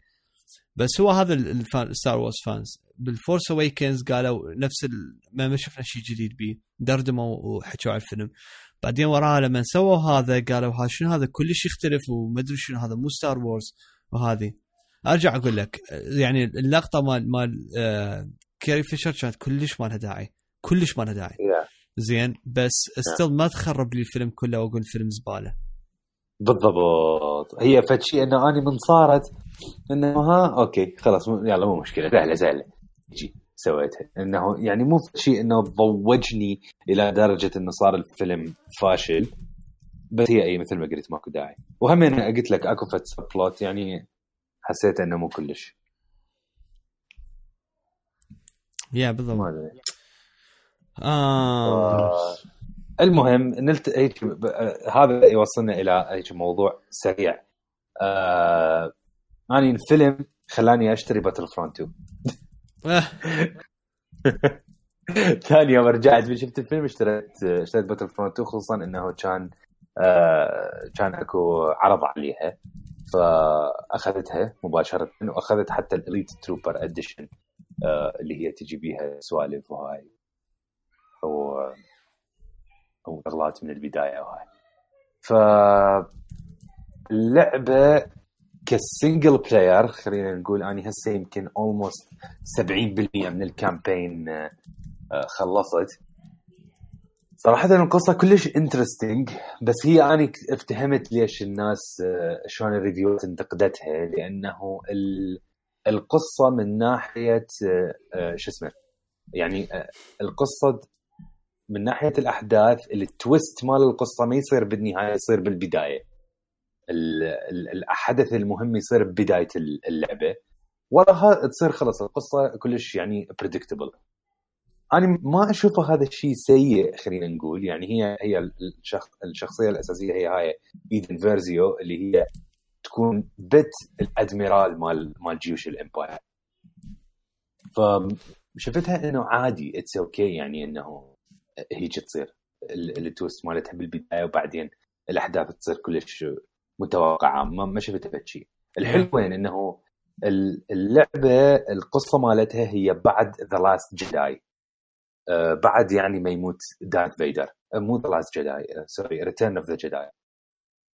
بس هو هذا الستار وورز فانز بالفورس اويكنز قالوا نفس ال... ما ما شفنا شيء جديد بيه دردموا وحكوا على الفيلم. بعدين وراها لما سووا هذا قالوا ها شنو هذا كلش يختلف وما ادري شنو هذا مو ستار وورز. وهذه ارجع اقول لك يعني اللقطه مال مال آه كاري فيشر كانت كلش ما لها داعي كلش ما لها داعي yeah. زين بس استل ما تخرب لي الفيلم كله واقول فيلم زباله. بالضبط هي فتشي انه اني من صارت انه ها اوكي خلاص يلا مو مشكله سهله سهله جي سويتها انه يعني مو شيء انه ضوجني الى درجه انه صار الفيلم فاشل بس هي اي مثل ما قلت ماكو داعي. وهم انا قلت لك اكو فت بلوت يعني حسيت انه مو كلش يا بالضبط آه. المهم نلت هيك هذا يوصلنا الى هيك موضوع سريع. آه... اني الفيلم خلاني اشتري باتل فرونت تو. ثاني يوم رجعت شفت الفيلم اشتريت اشتريت باتل فرونت تو خصوصا انه كان آه... كان اكو عرض عليها فاخذتها مباشره واخذت حتى الاليت تروبر اديشن آه... اللي هي تجي بيها سوالف وهاي و أو أغلاط من البداية وهاي. فاللعبة كسينجل بلاير خلينا نقول أني هسه يمكن almost سبعين بالمئة من الكامبين خلصت. صراحة القصة كلش interesting بس هي أنا افتهمت ليش الناس شلون الريفيوات انتقدتها لأنه القصة من ناحية شو اسمه يعني القصة من ناحية الأحداث التويست مال القصة ما يصير بالنهاية يصير بالبداية. الحدث المهم يصير ببداية اللعبة وراها تصير خلص القصة كلش يعني predictable. أنا ما أشوفه هذا الشيء سيء خلينا نقول يعني هي هي الشخص الشخصية الأساسية هي هاي إيدن فيرزيو اللي هي تكون بت الأدميرال مال مال جيوش الإمباير. فشفتها إنه عادي it's okay يعني إنه هيك تصير التويست مالتها بالبداية وبعدين الأحداث تصير كلش متوقعة ما ما شفتها بشيء. الحلو وين إنه اللعبة القصة مالتها هي بعد The Last Jedi آه بعد يعني ما يموت دارث فيدر مو The Last Jedi سوري Return of the Jedi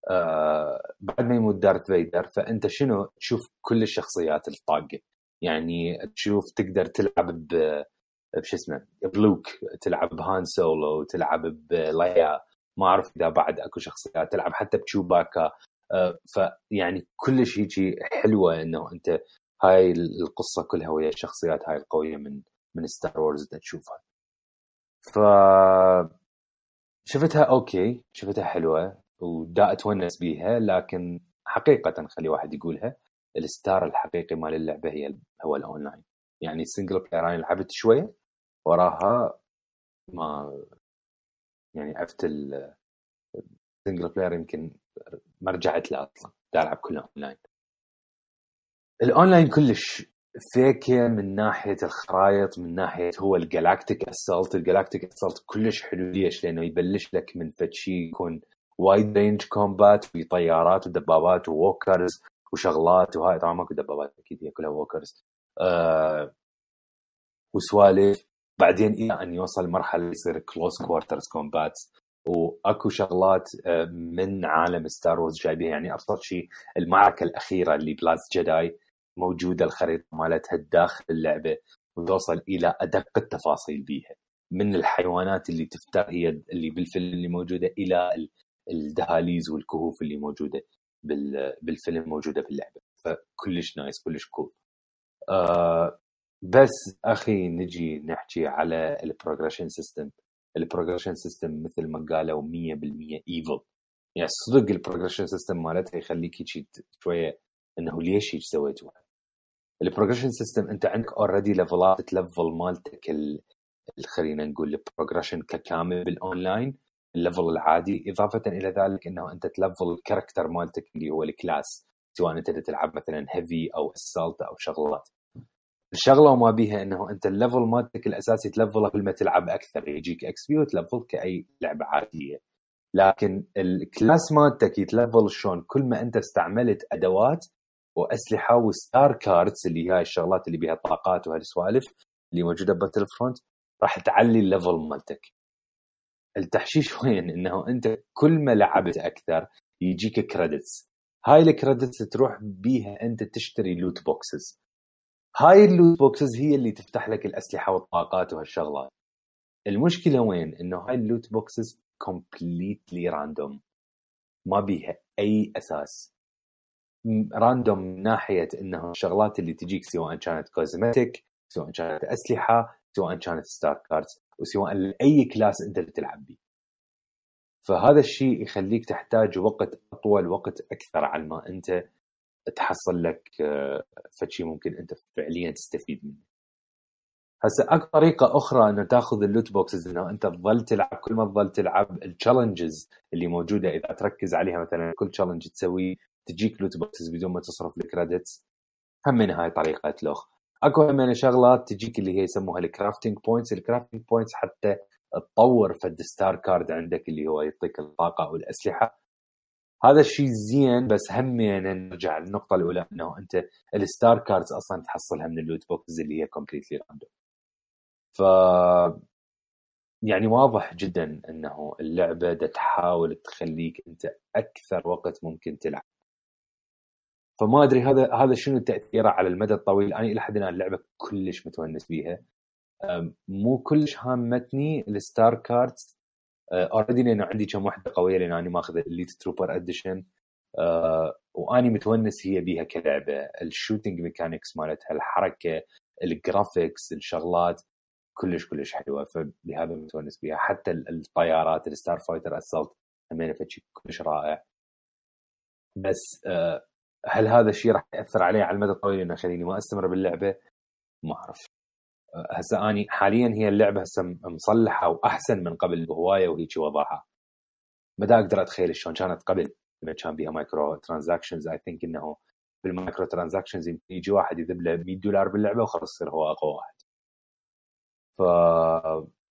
آه بعد ما يموت دارث فيدر فأنت شنو تشوف كل الشخصيات الطاقة يعني تشوف تقدر تلعب ب بش اسمه بلوك تلعب بهان سولو تلعب بلايا ما أعرف إذا بعد أكو شخصيات تلعب حتى بتشوباكا آه فيعني كل شيء شيء حلوة إنه أنت هاي القصة كلها ويا الشخصيات هاي القوية من من ستار وورز تشوفها. ف شفتها أوكي شفتها حلوة ودا أتونس بيها لكن حقيقة خلي واحد يقولها الستار الحقيقي مال اللعبة هي هو الأونلاين يعني السنجل بلاير أنا لعبت شوية وراها ما يعني عرفت السنجل بلاير يمكن ما رجعت له أصلا دا ألعب كله أونلاين. الأونلاين كلش فيكة من ناحية الخرائط من ناحية هو الجالاكتيك أسالت الجالاكتيك أسالت كلش حلو ليش لأنه يبلش لك من فتشي يكون وايد رينج كومبات في طيارات ودبابات ووكرز وشغلات وهاي طبعا ماكو دبابات أكيد هي كلها ووكرز أه وسوالف بعدين إلى أن يوصل مرحلة يصير كلوز كوارترز كومبات وأكو شغلات من عالم ستار وورز جايبها يعني أبسط شيء المعركة الأخيرة اللي بلاس جداي موجودة الخريطة مالتها داخل اللعبة وتوصل إلى أدق التفاصيل بيها من الحيوانات اللي تفتر هي اللي بالفيلم اللي موجودة إلى الدهاليز والكهوف اللي موجودة بالفيلم موجودة باللعبة. فكلش نايس كلش كول. آه بس أخي نجي نحكي على البروجريشن سيستم. البروجريشن سيستم مثل ما قالوا مية بالمية ايفل يعني صدق البروجريشن سيستم مالتها يخليك شوية انه ليش هيك سويتوها. البروجريشن سيستم انت عندك اوريدي ليفلات تلفل مالتك خلينا نقول البروجريشن ككامل بالاونلاين الليفل العادي اضافة الى ذلك انه انت تلفل الكاركتر مالتك اللي هو الكلاس سواء انت تلعب مثلا هيفي او اسالت او شغلات. الشغله وما بيها انه انت الليفل مالتك الاساسي تلفله كل ما تلعب اكثر يجيك اكس بي وتلفل كاي لعبه عاديه لكن الكلاس مالتك يتلفل شلون كل ما انت استعملت ادوات واسلحه وستار كاردز اللي هي الشغلات اللي بها طاقات وهالسوالف اللي موجوده بباتل فرونت راح تعلي الليفل مالتك. التحشيش وين؟ انه انت كل ما لعبت اكثر يجيك كريدتس، هاي الكريدتس تروح بيها انت تشتري لوت بوكسز. هاي اللوت بوكسز هي اللي تفتح لك الاسلحه والطاقات وهالشغلات. المشكله وين؟ انه هاي اللوت بوكسز كومبليتلي راندوم، ما بيها اي اساس. راندوم من ناحيه انه الشغلات اللي تجيك سواء كانت كوزمتيك، سواء كانت اسلحه، سواء كانت ستار كاردز، وسواء اي كلاس انت تلعب بيه. فهذا الشيء يخليك تحتاج وقت اطول، وقت اكثر على ما انت تحصل لك فشي ممكن انت فعليا تستفيد منه. هسه اكثر طريقه اخرى انه تاخذ اللوت بوكسز، انه انت تظل تلعب، كل ما تظل تلعب التشالنجز اللي موجوده اذا تركز عليها، مثلا كل تشالنج تسوي تجيك لوت بوكسز بدون ما تصرف الكريدتس. هم من هاي طريقه لوخ. اكو من شغلات تجيك اللي هي يسموها الكرافتنج بوينتس. الكرافتنج بوينتس حتى تطور فد ستار كارد عندك اللي هو يعطيك الطاقه والاسلحه. هذا الشيء زين، بس هم يعني نرجع للنقطه الاولى انه انت الستار كاردز اصلا تحصلها من اللوت بوكسز اللي هي كومبليتلي راندوم. ف يعني واضح جدا انه اللعبه دا تحاول تخليك انت اكثر وقت ممكن تلعب. فما ادري هذا هذا شنو تاثيره على المدى الطويل. انا الى حد الان اللعبه كلش متونس بيها، مو كلش هامتني الستار كاردز اوريدي لانه عندي كم وحده قويه، لان انا ماخذ الليت تروبر اديشن، واني متونس هي بيها كلعبه. الشوتينج ميكانكس مالتها، الحركه، الجرافيكس، الشغلات كلش كلش حلوه، فلهذا متونس بيها. حتى الطيارات الستار فايتر اسالت همين فشي كلش رائع. بس هل هذا الشيء راح ياثر علي على المدى الطويل انه خليني ما استمر باللعبه؟ ما اعرف. هسه اني حاليا هي اللعبه هسه مصلحه واحسن من قبل بهوايه وهيك وضعها. ما دا اقدر اتخيل شلون كانت قبل لما كان بيها مايكرو ترانزاكشنز. اي ثينك انه بالمايكرو ترانزاكشنز يجي واحد يذب له مية دولار باللعبه وخلص يصير هو اقوى واحد. ف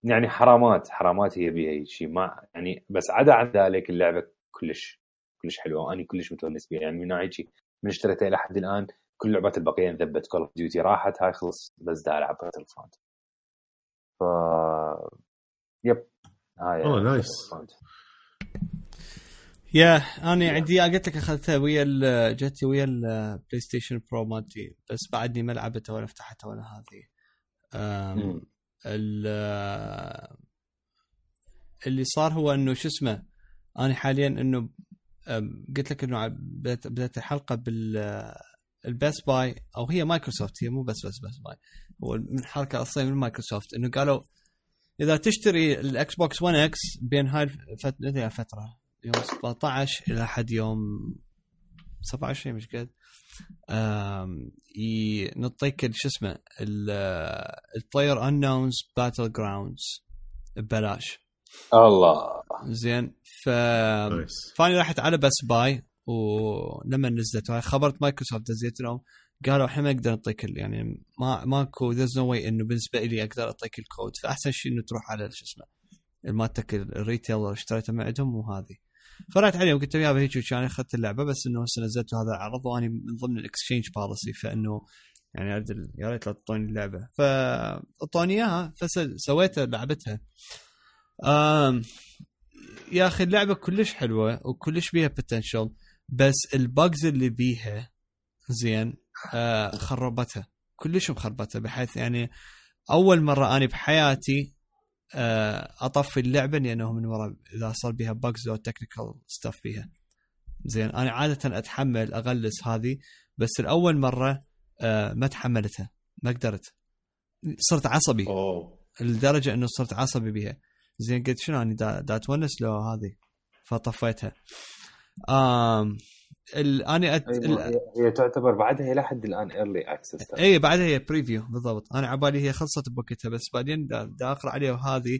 يعني حرامات حرامات هي بيها شيء ما يعني. بس عدا عن ذلك اللعبه كلش كلش حلوه واني كلش متونس بيها. يعني من ناحيه شيء من اشتريتها الى حد الان كل لعبات البقيه انذبت. كول اوف ديوتي راحت، هاي خلص بس دا العب باتل فرونت. ف يب هاي اوه نايس. يا انا عندي قلت لك اخذتها ويا جتي ويا البلاي ستيشن برو مالتي، بس بعدني ما لعبتها ولا فتحتها ولا هذه. اللي صار هو انه شو اسمه، انا حاليا انه قلت لك انه بدأت الحلقه بال البيس باي، او هي مايكروسوفت، هي مو بس بس بس باي، هو من حركه اصلا من مايكروسوفت، انه قالوا اذا تشتري الاكس بوكس ون اكس بين هاي الفتره فتره يوم سبعة عشر الى حد يوم سبعة وعشرين مش قد نعطيك شو اسمه البلاير انونز باتل جراوندز ببلاش. الله زين. ف فاني رحت على بس باي، ولما نزلت هاي خبرت مايكروسوفت دزيت لهم قالوا احنا ما نقدر نعطيك يعني ما ماكو ذيرز نو واي انه بالنسبه لي اقدر اعطيك الكود، فاحسن شيء انه تروح على شو اسمه المالتك الريتيلر اشتريته من عندهم. وهذه فرحت عليهم قلت يابا هيك كان اخذت اللعبه، بس انه هسه نزلت هذا العرض واني من ضمن الاكسشينج بوليسي، فانه يعني يا ريت لا تعطوني اللعبه، فاعطوني اياها فسويتها لعبتها. امم يا اخي اللعبه كلش حلوه وكلش بيها بوتنشل، بس الباجز اللي بيها زين آه خربتها كلش مخربتها، بحيث يعني اول مره اني بحياتي آه اطفي اللعبه لانه من ورا اذا صار بيها باجز او تكنيكال ستاف بيها. زين انا عاده اتحمل اغلس هذه، بس الاول مره آه ما تحملتها، ما قدرت، صرت عصبي أوه. لدرجه انه صرت عصبي بيها. زين قلت شنو اني دا, دا اتونس لو هذه، فطفيتها. امم انا أت... ال... هي تعتبر بعدها الى حد الان ايرلي اكسس. اي بعدها هي بريفيو بالضبط. انا عبالي هي خلصت بوقتها، بس بعدين دا, دا اقرا عليها، وهذه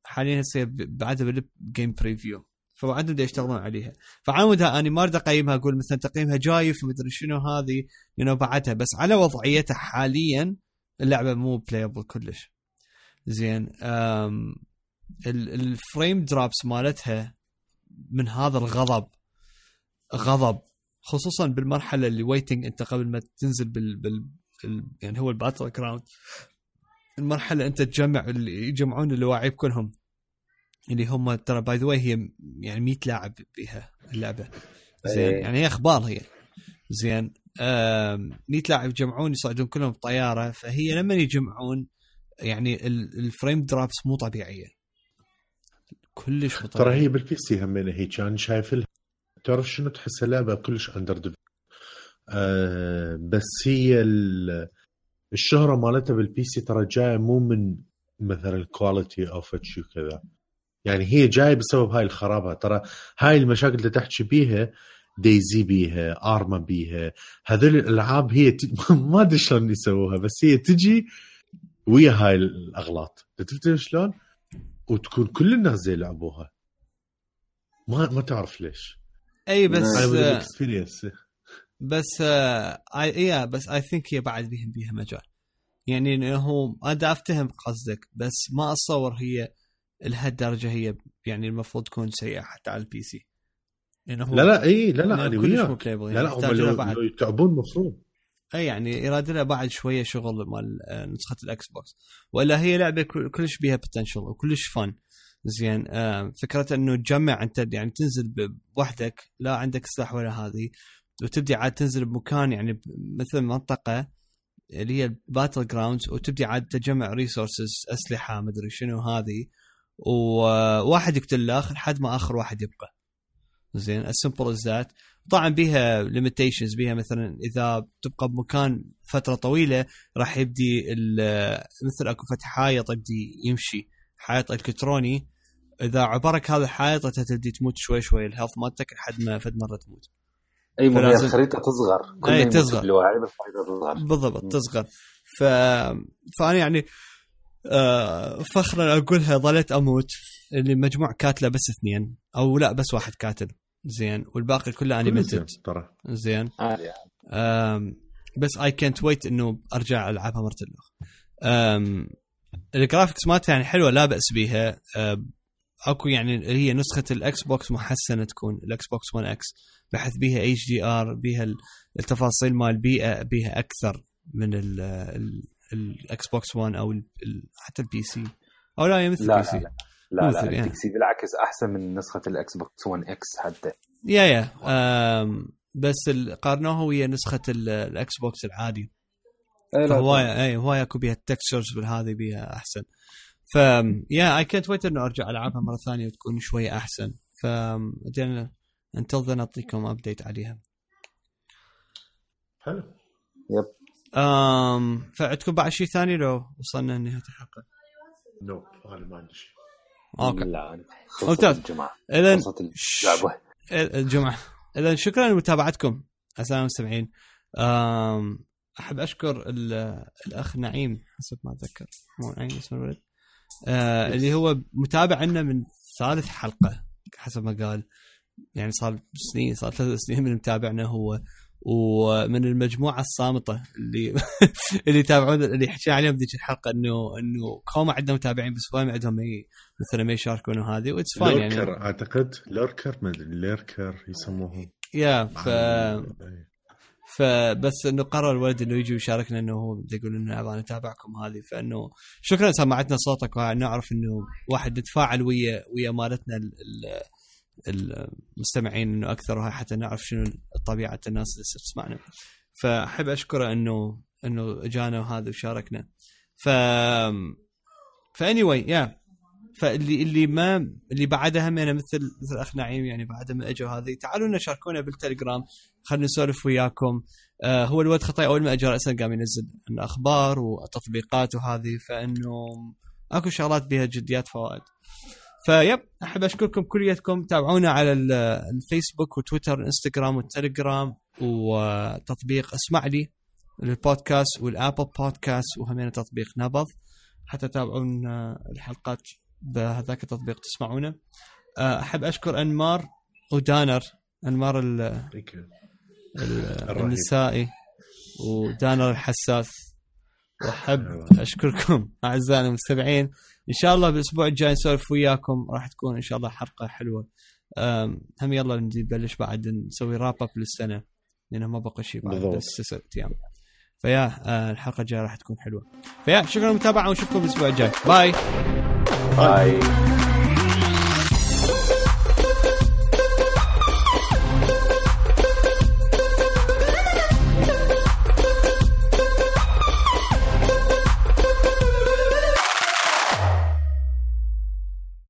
حاليا هسه بعدها بالجيم بريفيو، فبعدهم دا يشتغلون عليها. فعودها انا ما اريد اقيمها اقول مثلا تقييمها جايف ومدري شنو هذه لانه بعدها، بس على وضعيتها حاليا اللعبه مو بلايبل كلش. زين الفريم دروبس مالتها من هذا الغضب غضب خصوصا بالمرحله اللي ويتنج انت قبل ما تنزل بال, بال... يعني هو الباتل جراوند، المرحله انت تجمع اللي يجمعون اللاعب كلهم اللي هم ترى باي ذا واي هي يعني مية لاعب بها اللعبه زين، يعني هي اخبار هي زين مية لاعب يجمعون يصعدون كلهم بطياره، فهي لما يجمعون يعني الفريم درابس مو طبيعيه كلش مو طبيعيه. ترى هي بالبي سي همينه هي كان شايف لها تعرف شنو تحس اللعبه كلش اندر ديف... آه بس هي الشهره مالتها بالبي سي ترى جايه مو من مثلا الكواليتي او فتشي كذا، يعني هي جايه بسبب هاي الخرابه. ترى هاي المشاكل اللي تحكي بيها دايزي بيها ارما بيها هذول الالعاب هي ت... ما ادري شلون يسووها، بس هي تجي ويا هاي الاغلاط تفتهم شلون، وتكون كل الناس زي لعبوها ما ما تعرف ليش. اي بس اكسبيرينس بس اي يا بس اي ثينك هي بعد بيهم بيها مجال، يعني انه انا افتهم قصدك بس ما اتصور هي لهالدرجه هي يعني المفروض تكون سيئه حتى على البي سي. يعني لا لا اي لا لا انا وياك لا لا لا هم لو يتعبون مفروض اي يعني يراد لها بعد شويه شغل مال نسخه الاكس بوكس، ولا هي لعبه كلش بيها بوتنشل وكلش فن زين. فكره انه تجمع انت يعني تنزل بوحدك لا عندك سلاح ولا هذه، وتبدي عاد تنزل بمكان يعني مثل منطقه اللي هي الباتل جراوندز، وتبدي عاد تجمع ريسورسز اسلحه مدري شنو هذه، وواحد يقتل الاخر لحد ما اخر واحد يبقى زين السمبل از ذات. طبعا بيها ليميتيشنز، بيها مثلا اذا تبقى بمكان فتره طويله راح يبدي مثل اكو فتح حائط يبدي يمشي حائط الكتروني، اذا عبرك هذا الحائط تبدي تموت شوي شوي الهيلث مالتك لحد ما فد مره تموت. اي مو هي الخريطه تصغر كل ما تصغر تصغر بالضبط تصغر. ف فانا يعني آه فخرا اقولها ظلت اموت اللي مجموع كاتله بس اثنين او لا بس واحد كاتل زين، والباقي كله انيميتد ترى زين. آه بس اي كانت ويت انه ارجع العبها مره اخرى. الجرافيكس مالتها يعني حلوه لا باس بيها. آه اكو يعني هي نسخه الاكس بوكس محسنه تكون الاكس بوكس ون اكس بحيث بيها اتش دي ار، بيها التفاصيل مال البيئه بيها اكثر من الاكس بوكس ون او حتى البي سي او لا مثل لا البي سي. لا لا, لا, لا البي سي بالعكس احسن من نسخه الاكس بوكس ون اكس حتى. يا يا بس قارنوها ويا نسخه الاكس بوكس العادي فهوايه اي هوايه اكو بيها التكستشرز بالهذه بيها احسن. ف يا اي كانت ويت انه ارجع العبها مره ثانيه وتكون شويه احسن. ف انتظر نعطيكم ابديت عليها. حلو يب. امم فعندكم بعد شيء ثاني لو وصلنا لنهايه الحلقه؟ نو انا ما عندي شيء. اوكي لا ممتاز. الجمعه اذا اللعبه الجمعه اذا شكرا لمتابعتكم اسامه المستمعين. امم احب اشكر الاخ نعيم حسب ما اتذكر مو نعيم اسمه الولد آه اللي هو متابع لنا من ثالث حلقه حسب ما قال، يعني صار سنين صار ثلاث سنين من متابعنا هو، ومن المجموعه الصامته اللي اللي يتابعون اللي حكينا عليهم ذيك الحلقه انه انه كوما عندنا متابعين بس ما عندهم مثلا ما يشاركون وهذه واتس فاين يعني اعتقد لوركر ما ادري لوركر يسموهم يا ف فبس انه قرر الولد انه يجي ويشاركنا انه هو يقول انه ابغى اتابعكم هذه، فانه شكرا سمعتنا صوتك ونعرف انه واحد نتفاعل ويا ويا مالتنا المستمعين انه اكثر، وهي حتى نعرف شنو طبيعه الناس اللي تسمعنا. فاحب اشكره انه انه اجانا وهذا وشاركنا. ف فاني واي يا فاللي اللي ما اللي بعدها همنا مثل مثل اخ نعيم يعني بعد ما اجوا هذه تعالوا لنا شاركونا بالتليجرام خلينا نسولف وياكم. آه هو الواد خطاي اول ما اجى راسا قام ينزل الاخبار وتطبيقات وهذه، فانه اكو شغلات بها جديات فوائد. فيب احب اشكركم كلياتكم. تابعونا على الفيسبوك وتويتر وانستغرام والتليجرام وتطبيق اسمع لي البودكاست والابل بودكاست وهمين تطبيق نبض حتى تابعون الحلقات بهذاك التطبيق تسمعونه. احب اشكر انمار ودانر انمار النسائي ودانر الحساس، واحب اشكركم اعزائنا المستمعين. ان شاء الله بالاسبوع الجاي نسولف وياكم راح تكون ان شاء الله حلقه حلوه. هم يلا نبلش بعد نسوي راب اب للسنه. لانه ما بقى شيء بعد بس ست ايام. فيا آه الحلقه الجايه راح تكون حلوه. فيا شكرا للمتابعه ونشوفكم الاسبوع الجاي. باي باي.